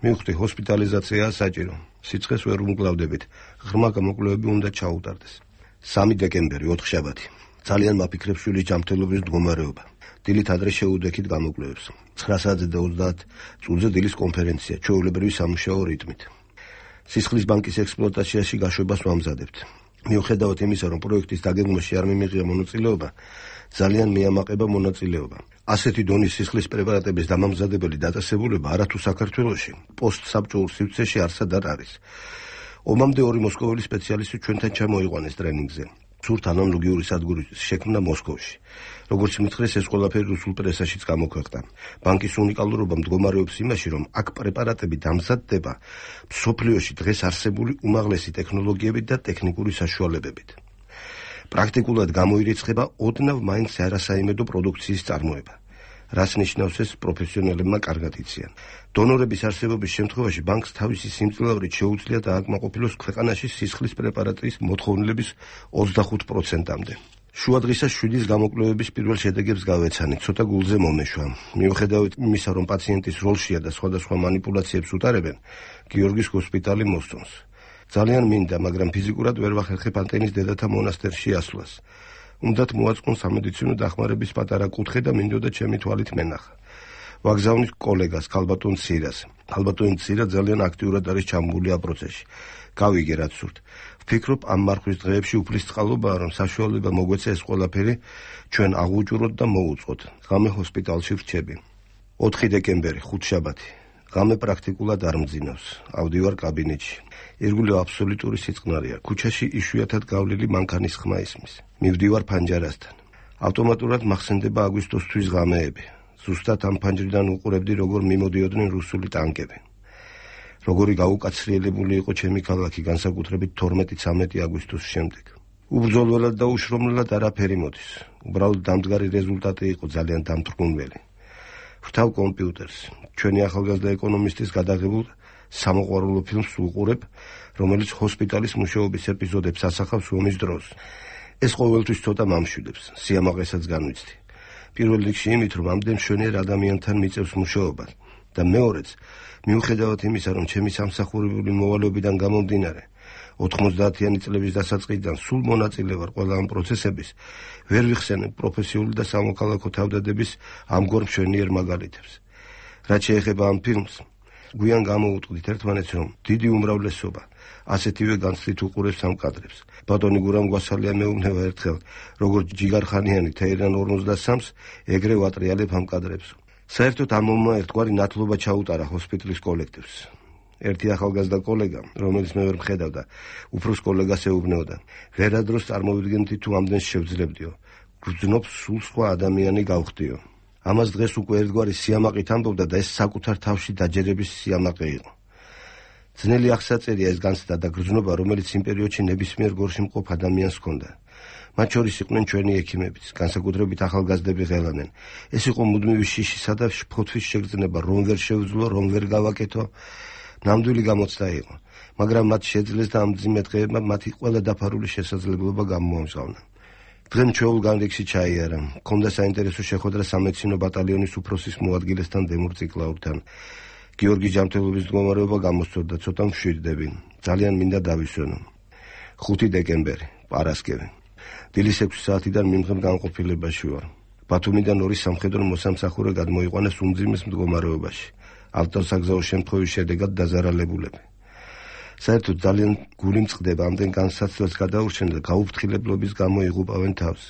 მივხვდი, ჰოსპიტალიზაციაა საჭირო. სიცხეს ვერ უმკლავდებით. ღრმა გამოკვლევები უნდა ჩაუტარდეს. სამი დეკემბერი, ოთხშაბათი. ძალიან მაფიქრებს შვილის ჯანმრთელობის მდგომარეობა. დილით ადრე შეუდექით გამოკვლევებს. ცხრა საათზე და ოცდაათ წუთზე დილის კონფერენცია, ჩვეულებრივი სამუშაო რიტმით. სისხლის ბანკის ექსპლუატაციაში გაშვებას ვამზადებთ. მიუხედავად იმისა, რომ პროექტის დაგეგმვაში არ მიმიღია მონაწილეობა, ძალიან მიამაყება მონაწილეობა. ასეთი დონის სისხლის პრეპარატების დამამზადებელი დაწესებულება არათუ საქართველოში, პოსტსაბჭოურ სივრცეში არსად არ არის. ომამდე ორი მოსკოველი სპეციალისტი ჩვენთან ჩამოიყვანეს ტრენინგზე. სურთ ანალოგიური სადგურის შექმნა მოსკოვში. როგორც მითხრეს, ეს ყველაფერი რუსულ პრესაშიც გამოქვეყნდა. ბანკის უნიკალურობა მდგომარეობს იმაში, რომ აქ პრეპარატები დამზადდება მსოფლიოში დღეს არსებული უმაღლესი ტექნოლოგიებით და ტექნიკური საშუალებებით. პრაქტიკულად გამოირიცხება ოდნავ მაინც არასაიმედო პროდუქციის წარმოება. რას ნიშნავს ეს პროფესიონალებმა კარგად იციან. დონორების არსებობის შემთხვევაში ბანკს თავისი სიმძლავრით შეუძლია დააკმაყოფილოს ქვეყანაში სისხლის პრეპარატის მოთხოვნილების ოცდახუთ პროცენტამდე. შუადღისა შვიდის გამოკვლევების პირველ შედეგებს გავეცანი, ცოტა გულზე მომეშვა. მიუხედავად იმისა, რომ პაციენტის როლშია და სხვადასხვა манипуляციებს უტარებენ, გიორგის ჰოსპიტალი მოსწონს. ძალიან მინდა, მაგრამ ფიზიკურად ვერ ვახერხებ ანტენის დედათა მონასტერში ასვლას. უნდათ მოაწყონ სამედიცინო დახმარების პატარა კუთხე და მინდოდა ჩემი თვალით მენახა. ვაგზავნით კოლეგას ქალბატონ ცირას. ქალბატონი ცირა ძალიან აქტიურად არის ჩამგული ამ პროცესში. გავიგე რაც სურთ. ვფიქრობ ამ მარხვის დღეებში უფლის წყალობაა, რომ საშუალება მოგვეცა ეს ყველაფერი ჩვენ აღუჭუროთ და მოუწყოთ. ღამე ჰოსპიტალში ვრჩები. ოთხი დეკემბერი, ხუთშაბათი. ღამე პრაქტიკულად არ მძინავს. ავდივარ კაბინეტში. ირგვლივ აბსოლუტური სიწყნარია. ქუჩაში იშვიათად გავლილი მანქანის ხმა ისმის. მივდივარ ფანჯარასთან. ავტომატურად მახსენდება აგვისტოსთვის ღამეები. ზუსტად ამ ფანჯრიდან უყურებდი, როგორ მიმოდიოდნენ რუსული ტანკები. როგორი გაუკაცრიელებული იყო ჩემი ქალაქი, განსაკუთრებით თორმეტი-ცამეტი აგვისტოს შემდეგ. უბრძოლველად და უშრომლელად არაფერი მოდის. უბრალოდ დამდგარი რეზულტატი იყო ძალიან დამთრგუნველი. ვრთავ კომპიუტერს. ჩვენი ახალგაზრდა ეკონომისტის გადაღებულ სამოყვარულო ფილმს ვუყურებ, რომელიც ჰოსპიტალის მუშაობის ეპიზოდებს ასახავს ომის დროს. ეს ყოველთვის ცოტა მამშვიდებს, სიამაყესაც განვიცდი. პირველ რიგში იმით, რომ ამდენ მშვენიერ ადამიანთან მიწევს მუშაობა და მეორეც, მიუხედავად იმისა, რომ ჩემი სამსახურებული მოვალეობიდან გამომდინარე, ოთხმოცდაათიანი წლების დასაწყისიდან სულ მონაწილე ვარ ყველა ამ პროცესების, ვერ ვიხსენებ პროფესიული და სამოქალაქო თავდადების ამგვარ მშვენიერ მაგალითებს. რაც შეეხება ამ ფილმს, გვიან გამოუწყდით ერთმანეთს, რომ დიდი უმრავლესობა ასეთივე განცდით უყურებს ამ კადრებს. ბატონი გურამ გვასალია მეუბნება ერთხელ, როგორც ჯიგარხანიანი თეირან ორმოცდასამს, ეგრე ვატრიალებ ამ კადრებს. საერთოდ ამ მომმა ერთგვარი ნათლობა ჩაუტარა ჰოსპიტალის კოლექტივს. ერთი ახალგაზრდა კოლეგა, რომელიც მე ვერ მხედავდა, უფროს კოლეგას ეუბნეოდა. ვერადროს წარმოვიდგენთი თუ ამდენს შევძლებდიო. გრძნობს სულ სხვა ადამიანი გავხდიო. ამას დღეს უკვე ერთგვარი სიამაყით ამბობდა და ეს საკუთარ თავში დაჯერების სიამაყე იყო. ძნელი აღსაწერია ეს განცდა და გრძნობა, რომელიც იმ პერიოდში ნებისმიერ გორში მყოფ ადამიანს ჰქონდა. მათ შორის იყვნენ ჩვენი ექიმებიც, განსაკუთრებით ახალგაზრდები ღელანენ. ეს იყო მუდმივი შიშისა და ფოთვის შეგრძნება, რომ ვერ შევძლო, რომ ვერ გავაკეთო. ნამდვილი გამოცდა იყო, მაგრამ მათ შეძლეს და ამ მძიმე დღეებმა მათი ყველა დაფარული შესაძლებლობა გამოამჟღავნა. დღემ ჩვეულ განრიგში ჩაიარა. მქონდა საინტერესო შეხვედრა სამედიცინო ბატალიონის უფროსის მოადგილესთან დემურ ციკლაურთან. გიორგი ჯანმრთელობის მდგომარეობა გამოსწორდა, ცოტა მშვიდდები. ძალიან მინდა დავისვენო. ხუთი დეკემბერი, პარასკევი. დილის ექვსი საათიდან მიმღებ განყოფილებაში ვარ. ბათუმიდან ორი სამხედრო მოსამსახურე გადმოიყვანეს უმძიმეს მდგომარეობაში. ავტოსაგზაო შემთხვევის შედეგად დაზარალებულები. საერთოდ ძალიან გული მწყდება ამდენ განსაცდელს გადაურჩენ და გაუფრთხილებლობის გამო იღუპავენ თავს.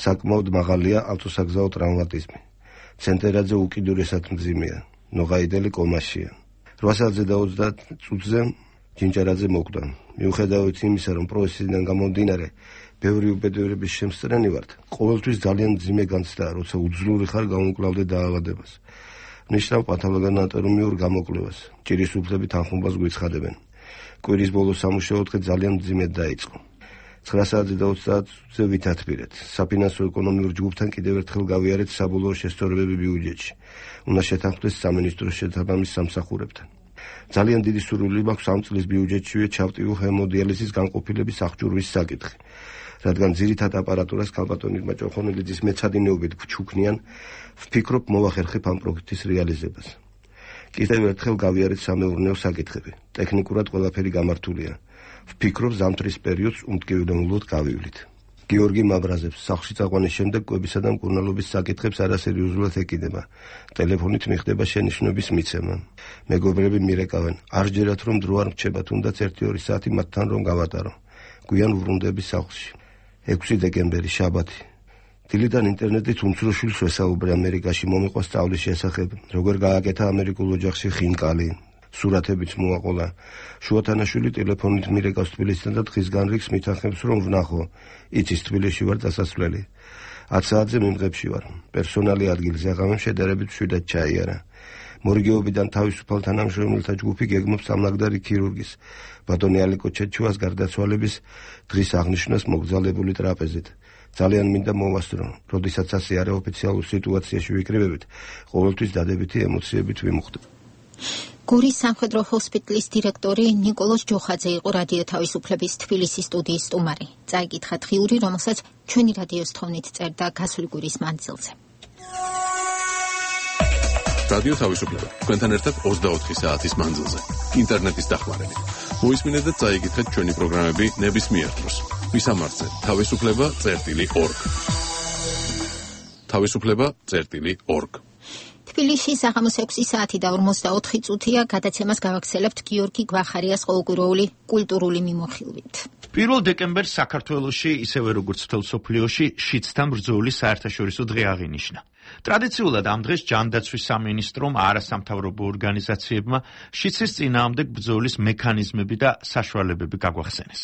საკმაოდ მაღალია ავტოსაგზაო ტრავმატიზმი. ცენტერაძე უკიდურესად მძიმეა. ნოღაიდელი კომაშია. რვა საათზე და ოცდაათ წუთზე ჯინჯარაძე მოკვდა. მიუხედავად იმისა, რომ პროცესიდან გამომდინარე ბევრი უბედურების შემსწრენი ვართ, ყოველთვის ძალიან მძიმე განცდაა, როცა უძლური ხარ გაუმკლავდე დაავადებას. ნიშნავ პათოლოგანატორიუმიურ გამოკვლევას. ჭირის უფლები თანხმობას გვიცხადებენ. კვირის ბოლოს სამუშაო დღე ძალიან მძიმედ დაიწყო. ცხრა საათზე და ოცდაათ წუთზე ვითათბირეთ. საფინანსო ეკონომიურ ჯგუფთან კიდევ ერთხელ გავიარეთ საბოლოო შესწორებები ბიუჯეტში. უნდა შეთანხმდეს სამინისტროს შესაბამის სამსახურებთან. ძალიან დიდი სურვილი მაქვს ამ წლის ბიუჯეტშივე ჩავტიო ჰემოდიალიზის განყოფილების აღჭურვის საკითხი. რადგან ძირითად აპარატურას ქალბატონი ჭოხონელიძის მეცადინეობით გვჩუქნიან, ვფიქრობ მოვახერხებ ამ პროექტის რეალიზებას. კიდევ ერთხელ გავიარეთ სამეურნეო საკითხები. ტექნიკურად ყველაფერი გამართულია. ვფიქრობ ზამთრის პერიოდს უმტკივნეულოდ გავივლით. გიორგი მაბრაზებს სახლში წაყვანის შემდეგ კვებისა და მკურნალობის საკითხებს არასერიოზულად ეკიდება. ტელეფონით მიხდება შენიშვნების მიცემა. მეგობრები მირეკავენ, არ ჯერათ რომ დრო არ მრჩება, თუნდაც ერთი-ორი საათი მათთან რომ გავატარო. გვიან ვბრუნდები სახლში. ექვსი დეკემბერი, შაბათი. დილიდან ინტერნეტით უმცროშვილს ვესაუბრე ამერიკაში მომიყვა სწავლის შესახებ, როგორ გააკეთა ამერიკულ ოჯახში ხინკალი. სურათებიც მოაყოლა. შუათანაშვილი ტელეფონით მირეკავს თბილისიდან და დღის განრიგს მითანხმებს, რომ ვნახო. იცის თბილისში ვარ დასასვლელი. ათ საათზე მიმღებში ვარ. პერსონალი ადგილზე აღამემ შედარებით მშვიდად ჩაიარა. მორიგეობიდან თავისუფალ თანამშრომელთა ჯგუფი გეგმობს სამლაგდარი ქირურგის, ბატონი ალიკო ჩეჩუას გარდაცვალების დღის აღნიშვნას მოგზაურებული ტრაპეზით. ძალიან მინდა მოვასწრო, როდესაც ასე არაოფიციალურ სიტუაციაში ვიკრიბებით, ყოველთვის დადებითი ემოციებით ვიმუხტებ. გორის სამხედრო ჰოსპიტალის დირექტორი ნიკოლოზ ჯოხაძე იყო რადიო თავისუფლების თბილისის სტუდიის სტუმარი. წაიკითხა დღიური, რომელსაც ჩვენი რადიოს თხოვნით წერდა გასული კვირის მანძილზე. რადიო თავისუფლება. თქვენთან ერთად ოცდაოთხი საათის მანძილზე. ინტერნეტის დახმარებით. მოისმინეთ და წაიკითხეთ ჩვენი პროგრამები ნებისმიერ დროს. ვისამართზე თავისუფლება წერტილი ორგ. თავისუფლება წერტილი ორგ. თბილისში საღამოს ექვსი საათი და ორმოცდაოთხი წუთია. გადაცემას გავაგრძელებთ გიორგი გვახარიას ყოველკვირეული კულტურული მიმოხილვით. პირველ დეკემბერს საქართველოში, ისევე როგორც მთელ მსოფლიოში, შიდსთან ბრძოლის საერთაშორისო დღე აღინიშნა. ტრადიციულად ამ დღეს ჯანდაცვის სამინისტრომ არასამთავრობო ორგანიზაციებმა შიდსის წინააღმდეგ ბრძოლის მექანიზმები და საშუალებები გაგვახსენეს.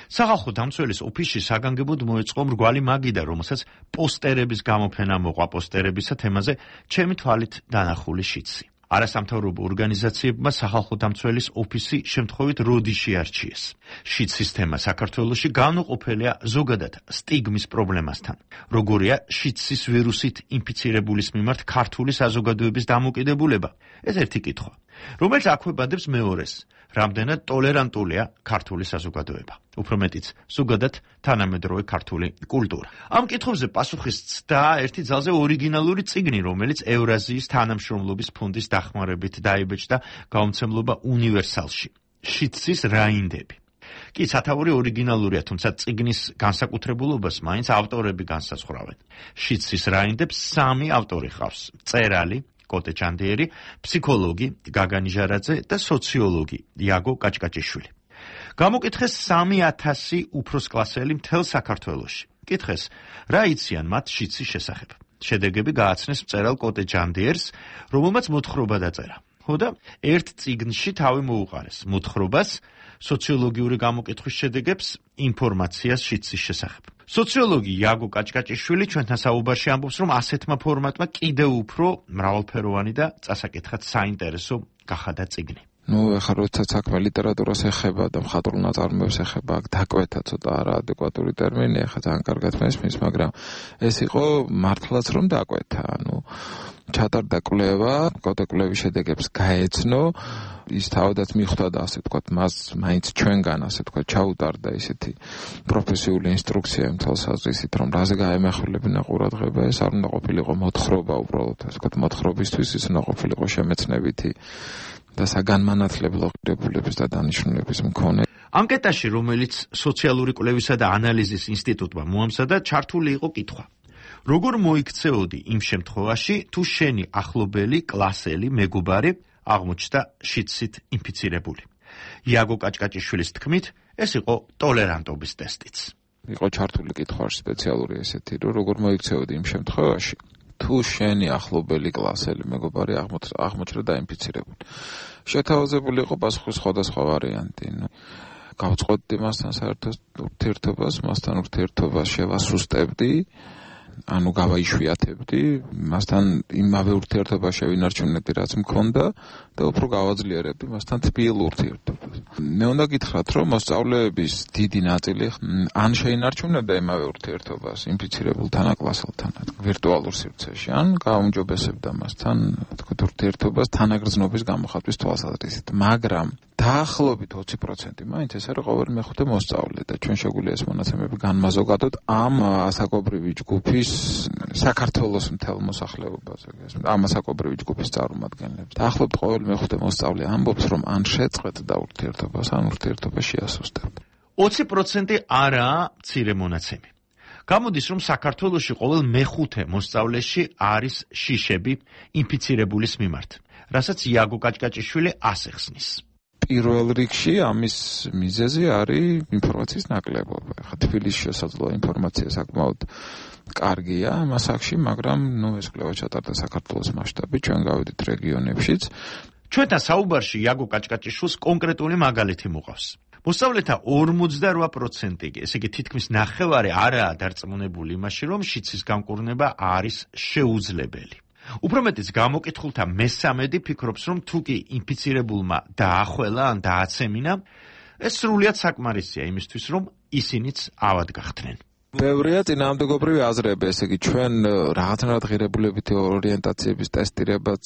სახალხო დამცველის ოფისში საგანგებოდ მოეწყო მრგვალი მაგიდა, რომელსაც პოსტერების გამოფენა მოყვა პოსტერებისა თემაზე ჩემი თვალით დანახული შიდსი. არასამთავრობო ორგანიზაციებმა სახალხო დამცველის ოფისი შემთხვევით როდიში არჩიეს. შიდსის თემა საქართველოში განუყოფელია ზოგადად სტიგმის პრობლემასთან. როგორია შიდსის ვირუსით ინფიცირებულის მიმართ ქართული საზოგადოების დამოკიდებულება? ეს ერთი კითხვა, რომელიც აქვეყნებს მეორეს. რამდენად ტოლერანტულია ქართული საზოგადოება? უფრო მეტიც, ზოგადად თანამედროვე ქართული კულტურა. ამ კითხვებზე პასუხის ცდა ერთი ძალზე ორიგინალური წიგნი, რომელიც ევრაზიის თანამშრომლობის ფონდის დახმარებით დაიბეჭდა გამომცემლობა უნივერსალში. შიდსის რაინდები. კი, სათაური ორიგინალურია, თუმცა წიგნის განსაკუთრებულობას მაინც ავტორები განსაზღვრავენ. შიდსის რაინდებს სამი ავტორი ყავს: მწერალი კოტე ჩანდიერი, ფსიქოლოგი გაგა ნიჟარაძე და სოციოლოგი იაგო კაჭკაჭიშვილი. გამოკითხეს სამი ათასი უფროსკლასელი მთელ საქართველოში. კითხეს, რა იციან მათ შიდსის შესახებ. შედეგები გააცნეს მწერალ კოტე ჩანდიერს, რომელმაც მოთხრობა დაწერა. ხოდა ერთ წიგნში თავი მოუყარეს მოთხრობას, სოციოლოგიური გამოკითხვის შედეგებს, ინფორმაციას შიდსის შესახებ. სოციოლოგი იაგო კაჭკაჭიშვილი ჩვენთან საუბარში ამბობს, რომ ასეთმა ფორმატმა კიდევ უფრო მრავალფეროვანი და წასაკითხად საინტერესო გახადა წიგნი. ნუ ეხლა როდესაც საქმე ლიტერატურას ეხება და მხატვრულ ნაწარმოებს ეხება, აქ დაკვეთა ცოტა არაადეკვატური ტერმინი, ეხლა ძალიან კარგად მესმის, მაგრამ ეს იყო მართლაც რომ დაკვეთა, ანუ ჩატარდა კვლევა, კვლევის შედეგებს გაეცნო, ის თავადაც მიხვდა და ასე თქვა, მას მაინც ჩვენგან ასე თქვა ჩაუტარდა ისეთი პროფესიული ინსტრუქცია მთელ საზრისით, რომ რაზე გაემახვილებინა ყურადღება, ეს არ უნდა ყოფილიყო მოთხრობა უბრალოდ, ასე თქვა, მოთხრობისთვის ის უნდა ყოფილიყო შემეცნებითი და საგანმანათლებლო ღირებულების და დანიშნულების მქონე. ანკეტაში, რომელიც სოციალური კვლევისა და ანალიზის ინსტიტუტმა მოამზადა, ჩართული იყო კითხვა: როგორ მოიქცეოდი იმ შემთხვევაში, თუ შენი ახლობელი, კლასელი, მეგობარი აღმოჩნდა შიდსით ინფიცირებული? იაგო კაჭკაჭიშვილის თქმით, ეს იყო ტოლერანტობის ტესტიც. იყო ჩართული კითხვა სპეციალური ესეთი, რომ როგორ მოიქცეოდი იმ შემთხვევაში, თუ შენი ახლობელი, კლასელი, მეგობარი აღმოჩნდა დაინფიცირებული. შეთავაზებული იყო პასუხის სხვადასხვა ვარიანტი. გავწყვეტდი მასთან საერთოდ ურთიერთობას, მასთან ურთიერთობას შევასუსტებდი, ანუ გავაიშვიათებდი, მასთან იმავე ურთიერთობას შევინარჩუნებდი, რაც მქონდა და უფრო გავაძლიერებდი მასთან თბილ ურთიერთობას. მე უნდა გითხრათ, რომ მოსწავლეების დიდი ნაწილი ან შეინარჩუნებდა იმავე ურთიერთობას ინფიცირებულ თანაკლასელთან, ვირტუალურ სივრცეში, ან გააუმჯობესებდა მასთან, თქვათ, ურთიერთობას თანაგრძნობის გამოხატვის თვალსაზრისით, მაგრამ დაახლოებით ოცი პროცენტი მაინც ეს არის ყოველი მეხუთე მოსწავლე და ჩვენ შეგვიძლია ეს მონაცემები განმაზოგადოთ ამ ასაკობრივი ჯგუფის საქართველოს მთელ მოსახლეობაზე, ამ ასაკობრივი ჯგუფის წარმომადგენლებს. დაახლოებით ყოველი მეხუთე მოსწავლე ამბობს, რომ ან შეწყვეტდა ურთიერთობას, ან ურთიერთობა შეასუსტებდა. ოცი პროცენტი არაა მცირე მონაცემი. გამოდის, რომ საქართველოში ყოველ მეხუთე მოსწავლეში არის შიშები ინფიცირებულის მიმართ, რასაც იაგო კაჭკაჭიშვილი ასახსნის. პირველ რიგში ამის მიზეზი არის ინფორმაციის ნაკლებობა. ხა თბილისში შესაძლოა ინფორმაცია საკმაოდ კარგია ამ ასაკში, მაგრამ ნუ ეს კვლევა ჩატარდა საქართველოს მასშტაბით, ჩვენ გავედით რეგიონებშიც. ჩვენთან საუბარში იაგო კაჭკაჭიშვილს კონკრეტული მაგალითი მოყავს. მოსწავლეთა ორმოცდარვა პროცენტი, ესე იგი თითქმის ნახევარი არაა დარწმუნებული იმაში, რომ შიდსის გამკურნება არის შეუძლებელი. უფრო მეტიც გამოკითხულთა მესამედი ფიქრობს, რომ თუ კი ინფიცირებულმა დაახველა ან დააცემინა, ეს სრულიად საკმარისია იმისთვის, რომ ისინიც ავად გახდნენ. ბევრია წინააღმდეგობრივი აზრები, ესე იგი ჩვენ რაღაცნაირად ღირებულებითი ორიენტაციების ტესტირებაც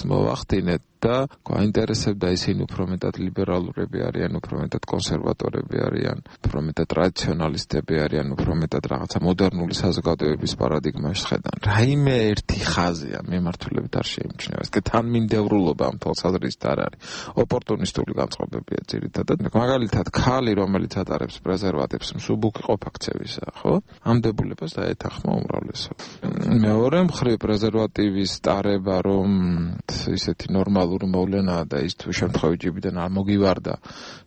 მოვახდინეთ და გაინტერესებდა ისინი უფრო მეტად ლიბერალურები არიან, უფრო მეტად კონსერვატორები არიან, უფრო მეტად ტრადიციონალისტები არიან, უფრო მეტად რაღაცა მოდერნული საზოგადოების პარადიგმაში ხედან. რაიმე ერთი ხაზია მიმართულებით არ შეიმჩნევა. ეს თანმიმდევრულობა ამ თვალსაზრისით არ არის. ოპორტუნისტული განწყობებია ძირითადად. მაგალითად, ქალი, რომელიც ატარებს პრეზერვატივს, მსუბუქი ყოფაქცევისა, ხო? ამ დებულებას დაეთანხმა უმრავლესობა. მეორე მხრივ პრეზერვატივის ტარება, რომ ისეთი ნორმალური მოვლენაა და ის თუ შემთხვევით ჯიბიდან არ მოგივარდა,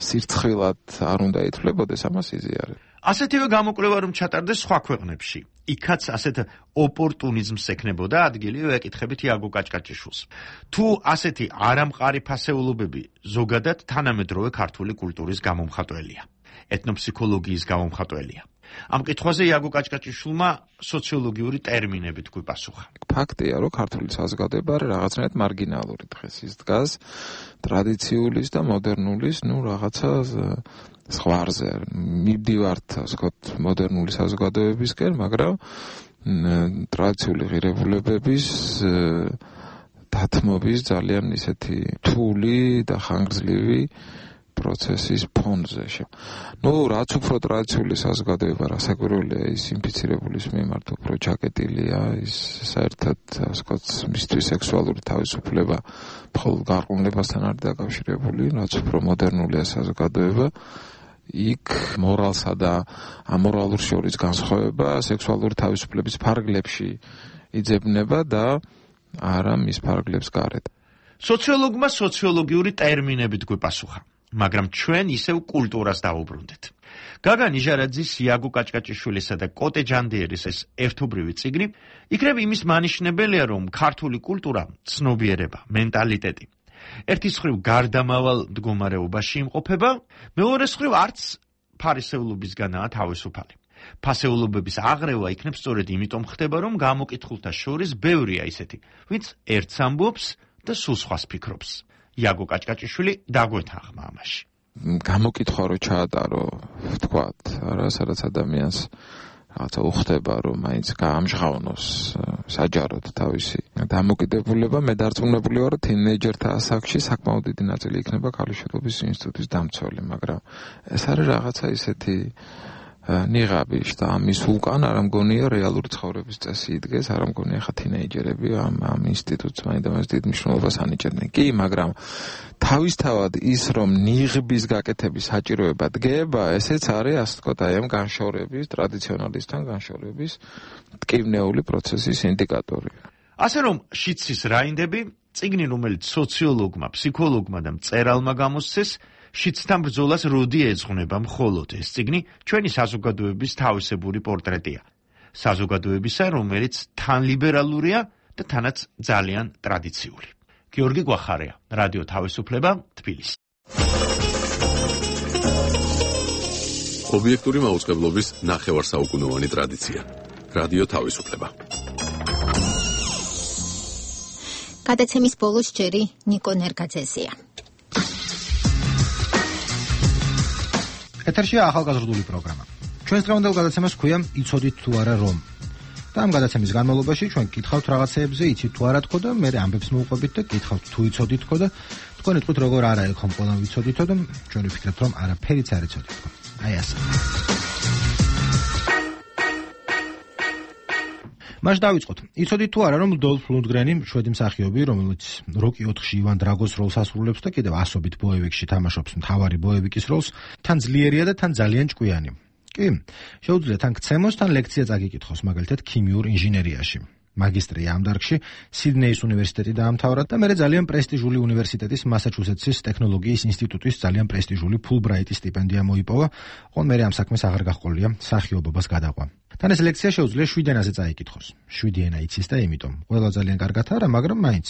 სირცხვილად არ უნდა ითვლებოდეს, ამას იზიარებ. ასეთივე გამოკვლევა რომ ჩატარდეს სხვა ქვეყნებში. იქაც ასეთ ოპორტუნიზმს ექნებოდა ადგილი, ვეკითხებით იაგო კაჭკაჭიშვილს. თუ ასეთი არამყარი ფასეულობები ზოგადად თანამედროვე ქართული კულტურის გამომხატველია, ეთნოფსიქოლოგიის გამომხატველია. ამ კითხვაზე იაგო კაჭკაჭიშვილმა სოციოლოგიური ტერმინებით გვიპასუხა. ფაქტია, რომ ქართული საზოგადოება არის რაღაცნაირად მარგინალური დღეს. ის დგას ტრადიციული და მოდერნულის, ну, რაღაცა ზღვარზე. მივდივართ, ასე ვთქვათ, მოდერნული საზოგადოებისკენ, მაგრამ ტრადიციული ღირებულებების დათმობის ძალიან ისეთი რთული და ხანგრძლივი პროცესის ფონზე. ნუ რაც უფრო ტრადიციული საზოგადოება რასაკვირველია, ის ინფიცირებულის მიმართ უფრო ჩაკეტილია, ის საერთოდ ასე ვთქვათ, მისთვის სექსუალური თავისუფლება მხოლოდ გარყვნილებასთან არის დაკავშირებული, რაც უფრო მოდერნულია საზოგადოება, იქ მორალსა და ამორალურ შორის განსხვავება სექსუალური თავისუფლების ფარგლებში იძებნება და არა მის ფარგლებს გარეთ. სოციოლოგმა სოციოლოგიური ტერმინებით გვიპასუხა. მაგრამ ჩვენ ისევ კულტურას დავუბრუნდეთ. გაგა ნიჟარაძის, იაგო კაჭკაჭიშვილისა და კოტე ჯანდიერის ეს ერთობრივი წიგნი იქნება იმის მანიშნებელია, რომ ქართული კულტურა, ცნობიერება, მენტალიტეტი ერთის მხრივ გარდამავალ მდგომარეობაში იმყოფება, მეორეს მხრივ არც ფარისეულობისგანაა თავისუფალი. ფასეულობების აღრევა იქნებ სწორედ იმიტომ ხდება, რომ გამოკითხულთა შორის ბევრია ისეთი, ვინც ერთს ამბობს და სულ სხვას ფიქრობს. იაგო კაჭკაჭიშვილი დაგვეთანხმა ამაში. გამოკითხვა რო ჩაატარო, ვთქვათ, არა, სადაც ადამიანს რაღაცა უხდება, რომ მაინც გაამჟღავნოს საჯაროდ თავისი დამოკიდებულება. მე დარწმუნებული ვარ, თინეიჯერთა ასაკში საკმაოდ დიდი ნაწილი იქნება ქალიშვილობის ინსტიტუტის დამცველი, მაგრამ ეს არის რაღაცა ისეთი ნიღაბი და ამის უკან არ მგონია რეალური ცხოვრების წესი იდგეს, არ მგონია ხა თინეიჯერები ამ ამ ინსტიტუტს მაინდამაინც დიდ მნიშვნელობას ანიჭებდნენ. კი, მაგრამ თავისთავად ის, რომ ნიღბის გაკეთების საჭიროება დგება, ესეც არის, ასე ვთქვათ, აი ამ განშორების, ტრადიციონალისტთან განშორების ტკივნეული პროცესის ინდიკატორი. ასე რომ შიცის რაინდები, წიგნი, რომელიც სოციოლოგმა, ფსიქოლოგმა და მწერალმა გამოსცეს, შიცთან ბრძოლას როდი ეძღვნება მხოლოდ ეს წიგნი ჩვენი საზოგადოების თავისებური პორტრეტია. საზოგადოებისა, რომელიც თან ლიბერალურია და თანაც ძალიან ტრადიციული. გიორგი გვახარია, რადიო თავისუფლება, თბილისი. ობიექტური მაუწყებლობის ნახევარსაუკუნოვანი ტრადიცია. რადიო თავისუფლება. გადაცემის ბოლოს ჯერი ნიკო ნერგაძეზია. ეთერშია ახალგაზრდული პროგრამა. ჩვენს დღევანდელ გადაცემას ჰქვია იცოდით თუ არა რომ. და ამ გადაცემის განმავლობაში ჩვენ გკითხავთ რაღაცეებზე, იცით თუ არა თქო და მე ამბებს მოვუყვებით და გკითხავთ თუ იცოდით თქო და თქვენი თქოთ როგორ არა ეხომ ყველა ვიცოდითო და ჩვენ ვფიქრებთ რომ არაფერიც არ იცოდით თქო. აი ასე. მას დავიწყოთ. იცოდით თუ არა რომ დოლფ ლუნდგრენი, შვედი მსახიობი, რომელიც როკი ოთხში ივან დრაგოს როლს ასრულებს და კიდევ ასობით ბოევიკში თამაშობს მთავარი ბოევიკის როლს, თან ძლიერია და თან ძალიან ჭკვიანი. კი, შეუძლია თან ქცემოს, თან ლექცია წაგიკითხოს, მაგალითად ქიმიურ ინჟინერიაში. მაგისტრია ამ დარგში სიდნეის უნივერსიტეტი დაამთავრა და მერე ძალიან პრესტიჟული უნივერსიტეტის მასაჩუსეტსის ტექნოლოგიის ინსტიტუტის ძალიან პრესტიჟული ფულბრაიტის სტიპენდია მოიპოვა, ოღონ მერე ამ საქმეს აღარ გაჰყოლია მსახიობობას გადაყვა. თან ეს ლექცია შეუძლია შვიდ ენაზე წაიკითხოს. შვიდი ენა იცის და იმიტომ. ყველა ძალიან კარგად არა, მაგრამ მაინც.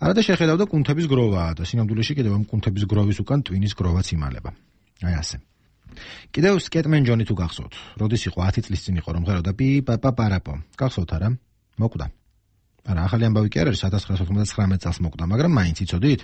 არადა შეხედავდა კუნთების გროვაა და სინამდვილეში კიდევ ამ კუნთების გროვის უკან ტვინის გროვაც იმალება. აი ასე. კიდევ სკეტმენ ჯონი თუ გახსოვთ, როდის იყო ათი წლის წინ იყო რომ ღეროდა პი პაპა პარაპო. გახსოვთ არა? მოკვდა. არა, ახალი ამბავი კი არ არის, ათას ცხრაასი ოცდამოცდამეტ წელს მოკვდა, მაგრამ მაინც იცოდით?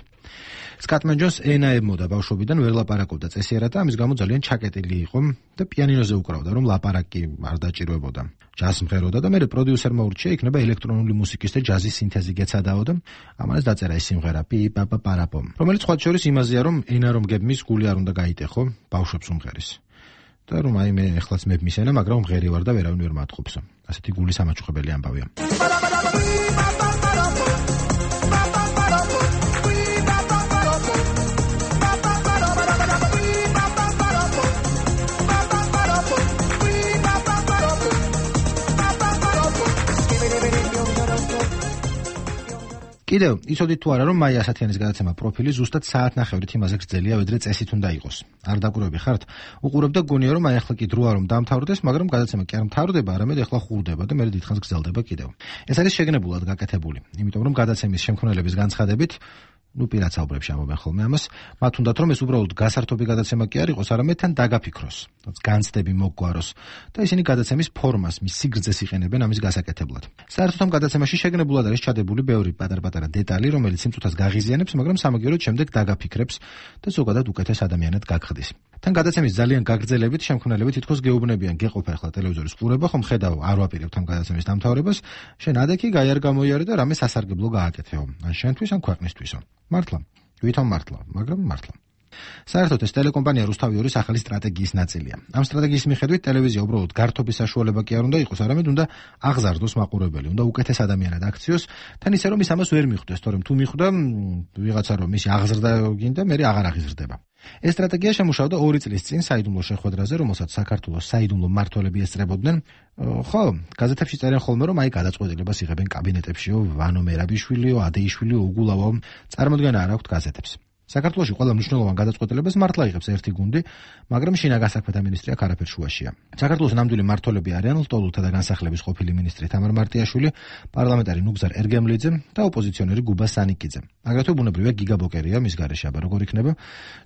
სკატმენ ჯონს ენა ებმოდა ბავშვობიდან, ვერ ლაპარაკობდა წესიერად და ამის გამო ძალიან ჩაკეტილი იყო და პიანინოზე უკრავდა, რომ ლაპარაკი არ დაჭირვებოდა. ჯაზს მღეროდა და მერე პროდიუსერმა ურჩია იქნება ელექტრონული მუსიკის და ჯაზის სინთეზი გეცადაო და ამას დაწერა ეს სიმღერა პი პაპა პარაპო, რომელიც სხვა შორის იმაზეა, რომ ენა რომ გებმის გული არ უნდა გაიტეხო, ბავშვებს უმღერის. და რომ აი მე ეხლაც მებმის ენა, მაგრამ მღერი ვარ და ვერავინ ვერ მათხოვსო. ასეთი გულის ამაჩუხებელი ამბავია. კიდევ იცოდით თუ არა, რომ მაია ასათიანის გადაცემა პროფილი ზუსტად საათნახევრით იმაზე გრძელია, ვიდრე წესით უნდა იყოს. არ დაკვირვები ხართ? უყურებ და გონია, რომ აი ახლა კი დროა რომ დამთავრდეს, მაგრამ გადაცემა კი არ მთავრდება, არამედ ახლა ხურდება და მერე დიდხანს გრძელდება კიდევ. ეს არის შეგნებულად გაკეთებული, იმიტომ რომ გადაცემის შემქმნელების განცხადებით ნუ პირაცაუბრებში ამობენ ხოლმე ამას, მათ უნდათ რომ ეს უბრალოდ გასართობი გადაცემა კი არ იყოს, არამედ თან დაგაფიქროს, განცდები მოგვაროს და ისინი გადაცემის ფორმას, მის სიგრძეს იყენებენ ამის გასაკეთებლად. საერთოდ ამ გადაცემაში შეგნებულად არის ჩადებული ბევრი პატარ-პატარა დეტალი, რომელიც სიმწუთას გაღიზიანებს, მაგრამ სამაგიეროდ შემდეგ დაგაფიქრებს და ზოგადად უკეთეს ადამიანად გაგხდის. თან გადაცემის ძალიან გაგრძელებით შემქმნელები თითქოს გეუბნებიან, გეყოფა ახლა ტელევიზორის ყურება, ხომ ხედავ, არ ვაპირებთ ამ გადაცემის დამთავრებას, შენ ადექი გაიარ გამოიარე და რამე სასარგებლო გააკეთეო, ან შენთვის, ან ქვეყნისთვისო. მართლა, ვითომ მართლა, მაგრამ მართლა. საერთოდ ეს ტელეკომპანია რუსთავი ორის ახალი სტრატეგიის ნაწილია. ამ სტრატეგიის მიხედვით ტელევიზია უბრალოდ გართობის საშუალება კი არ უნდა იყოს, არამედ უნდა აღზარდოს მაყურებელი, უნდა უკეთეს ადამიანად აქციოს, თან ისე რომ ის ამას ვერ მიხვდეს, თორემ თუ მიხვდა ვიღაცა რომ ისი აღზრდა გინდა, მე აღარ აღიზრდება. ეს სტრატეგია შემუშავდა ორი წლის წინ საიდუმლო შეხვედრაზე, რომელსაც საქართველოს საიდუმლო მმართველები ესწრებოდნენ. ხო, გაზეთებში წერენ ხოლმე, რომ აი გადაწყვეტილებას იღებენ კაბინეტებშიო, ვანო მერაბიშვილიო, ადეიშვილიო, უგულავო, წარმოდგენა არ აქვთ გაზეთებს. საქართველოში ყველა მნიშვნელოვან გადაწყვეტილებას მართლა იღებს ერთი გუნდი, მაგრამ შინაგან საქმეთა მინისტრი აქ არაფერ შუაშია. საქართველოს ნამდვილი მმართველები არიან ლტოლვილთა და განსახლების ყოფილი მინისტრი თამარ მარტიაშვილი, პარლამენტარი ნუგზარ ერგემლიძე და ოპოზიციონერი გუბა სანიკიძე. აგრეთვე ბუნებრივია გიგა ბოკერია, მის გარეშე აბა როგორ იქნება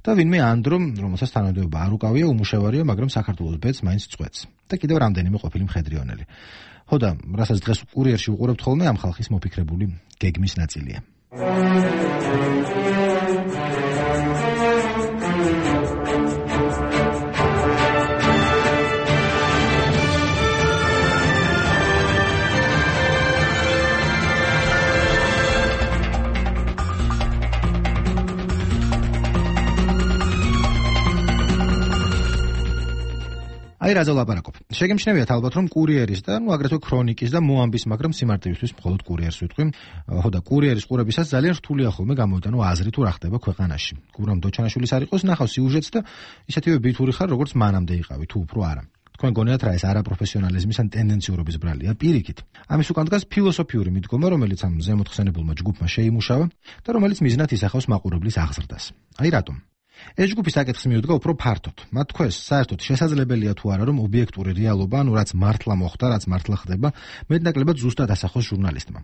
და ვინმე ანდრო, რომელსაც თანამდებობა არ უკავია, უმუშევარია, მაგრამ საქართველოს ბედს მაინც წვეთს. და კიდევ რამდენიმე ყოფილი მხედრიონელი. ხო და რასაც დღეს კურიერში უყურებთ ხოლმე, ამ ხალხის მოფიქრებული გეგმის ნაწილია. აი რაზე ვლაპარაკობ. შეგემჩნევიათ ალბათ რომ კურიერის და ნუ აგრეთვე ქრონიკის და მოამბის, მაგრამ სიმარტივისთვის მხოლოდ კურიერს ვიტყვი. ხო და კურიერის ყურებისას ძალიან რთულია ხოლმე გამოვიტანო აზრი თუ რა ხდება ქვეყანაში. გურამ დოჩანაშვილის არ იყოს, ნახავ სიუჟეტს და ისეთივე ბითური ხარ, როგორც მანამდე იყავი, თუ უფრო არა. თქვენ გონიათ რა ეს არაპროფესიონალიზმის ან ტენდენციურობის ბრალია? პირიქით. ამის უკან დგას ფილოსოფიური მიდგომა, რომელიც ამ ზემოთხსენებულმა ჯგუფმა შეიმუშავა და რომელიც მიზნად ისახავს მაყურებლის აღზრდას. აი რატომ? ეს ჯგუფი საკითხს მიუდგა უფრო ფართოდ. მათ თქვეს, საერთოდ შესაძლებელია თუ არა, რომ ობიექტური რეალობა, ანუ რაც მართლა მოხდა, რაც მართლა ხდება, მეტნაკლებად ზუსტად ასახოს ჟურნალისტმა.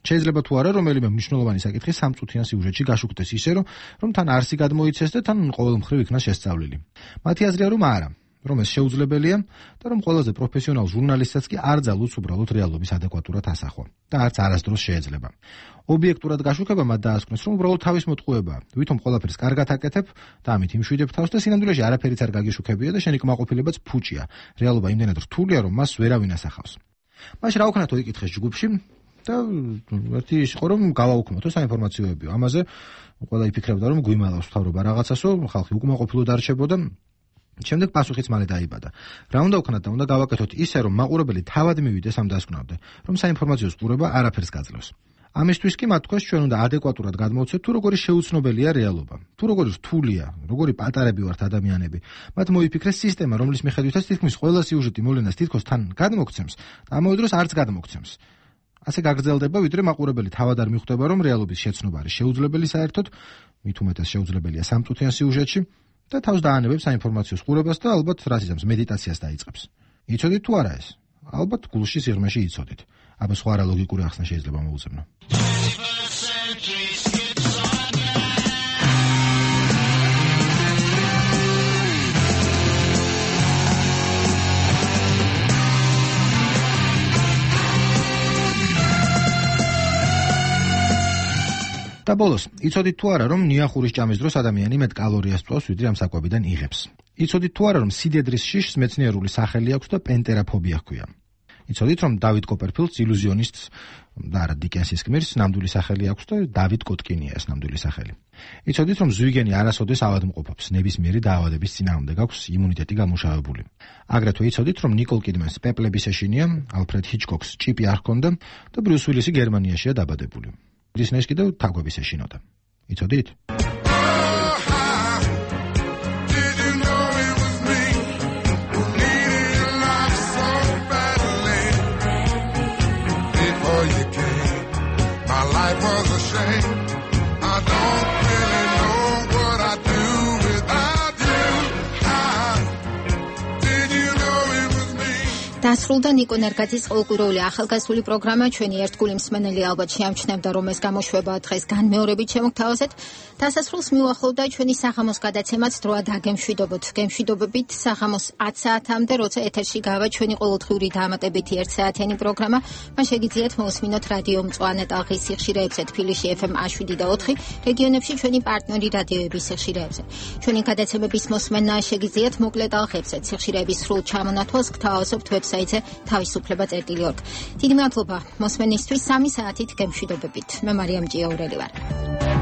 შეიძლება თუ არა, რომელიმე მნიშვნელოვანი საკითხი სამწუთიან სიუჟეტში გაშუქდეს ისე, რომ რომ თან არსი გადმოიცეს და თან ყოველმხრივ იქნა შესწავლილი. მათი აზრია რომ არა, რომ ეს შეუძლებელია და რომ ყველაზე პროფესიონალ ჟურნალისტსაც კი არ ძალუძს უბრალოდ რეალობის ადეკვატურად ასახვა და არც არასდროს შეიძლება. ობიექტურად გაშუქება მათ დაასკვნეს, რომ უბრალოდ თავის მოტყუებაა. ვითომ ყველაფერს კარგად აკეთებ და ამით იმშვიდებ თავს და სინამდვილეში არაფერიც არ გაგიშუქებია და შენი კმაყოფილებაც ფუჭია. რეალობა იმდენად რთულია, რომ მას ვერავინ ასახავს. მაშინ რა ვქნათო იკითხეს ჯგუფში და ერთი ის იყო, რომ გავაუქმოთო საინფორმაციოებიო. ამაზე ყველა იფიქრებდა, რომ გვიმალავს თავრობა რაღაცასო, ხალხი უკმაყოფილოდ არჩებოდა. შემდეგ პასუხიც მალე დაიბადა. რა უნდა ვქნათ და უნდა გავაკეთოთ ისე, რომ მაყურებელი თავად მივიდეს ამ დასკვნამდე, რომ საინფორმაციო ყურება არაფერს გაძლევს. ამისთვის კი მათ თქვეს, ჩვენ უნდა ადეკვატურად გადმოვცეთ, თუ როგორი შეუცნობელია რეალობა, თუ როგორი რთულია, როგორი პატარები ვართ ადამიანები. მათ მოიფიქრეს სისტემა, რომლის მიხედვითაც თითქმის ყველა სიუჟეტი მოვლენას თითქოს თან გადმოგცემს და ამავე დროს არც გადმოგცემს. ასე გაგრძელდება, ვიდრე მაყურებელი თავად არ მიხვდება, რომ რეალობის შეცნობა არის შეუძლებელი საერთოდ, მით უმეტეს შეუძლებელია სამწუთიან სიუჟეტში. და თავს დაანებებს საინფორმაციო ყურებას და ალბათ რაც იზამს მედიტაციას დაიწყებს. იცოდით თუ არა ეს? ალბათ გულში სიღრმეში იცოდით. აბა სხვა რა ლოგიკური ახსნა შეიძლება მოუძებნო. და ბოლოს, იცოდით თუ არა, რომ ნიახურის ჭამის დროს ადამიანი მეტ კალორიას წვავს, ვიდრე ამ საკვებიდან იღებს. იცოდით თუ არა, რომ სიდედრის შიშს მეცნიერული სახელი აქვს და პენტერაფობია ჰქვია. იცოდით, რომ დავით კოპერფილდს ილუზიონისტს და არა დიკენსის გმირს ნამდვილი სახელი აქვს და დავით კოტკინია ეს ნამდვილი სახელი. იცოდით, რომ ზვიგენი არასოდეს ავადმყოფობს, ნებისმიერი დაავადების წინააღმდეგ აქვს იმუნიტეტი გამუშავებული. აგრეთვე იცოდით, რომ ნიკოლ კიდმენს პეპლების ეშინია, ალფრედ ჰიჩკოკს ჭიპი არ ჰქონდა და ბრიუს უილისი გერმანიაშია დაბადებული. დისნეის კიდევ თაგვების ეშინოდა. იცოდით? Life was a shame. I don't really know what I'd do without you. How did you know it was me? დასრულდა ნიკო ნერგაძის ყოველკვირეული ახალგაზრდული პროგრამა. ჩვენი ერთგული მსმენელი ალბათ შეამჩნევდა, რომ ეს გამოშვება დღეს განმეორებით შემოგთავაზეთ. დასასრულს მიუახლოვდა ჩვენი საღამოს გადაცემაც დროა დაგემშვიდობოთ. გემშვიდობებით საღამოს ათ საათამდე, როცა ეთერში გავა ჩვენი ყოველდღიური დაამატებითი ერთ საათიანი პროგრამა. მან შეგიძლიათ მოусმინოთ რადიო მწვანე ტალღის სიხშირეებზე, თბილისში ეფ ემ შვიდ და ოთხი, რეგიონებში ჩვენი პარტნიორი რადიოების სიხშირეებზე. ჩვენი გადაცემების მოსმენა შეგიძლიათ მოკლე ტალღებზე. სიხშირეების სრულ ჩამონათვალს გთავაზობთ ვებსაიტზე თავისუფლება წერტილი ორგ. დიდი მადლობა მოსმენისთვის. სამი საათით გემშვიდობებით. მე მარიამ ჭიაურელი ვარ.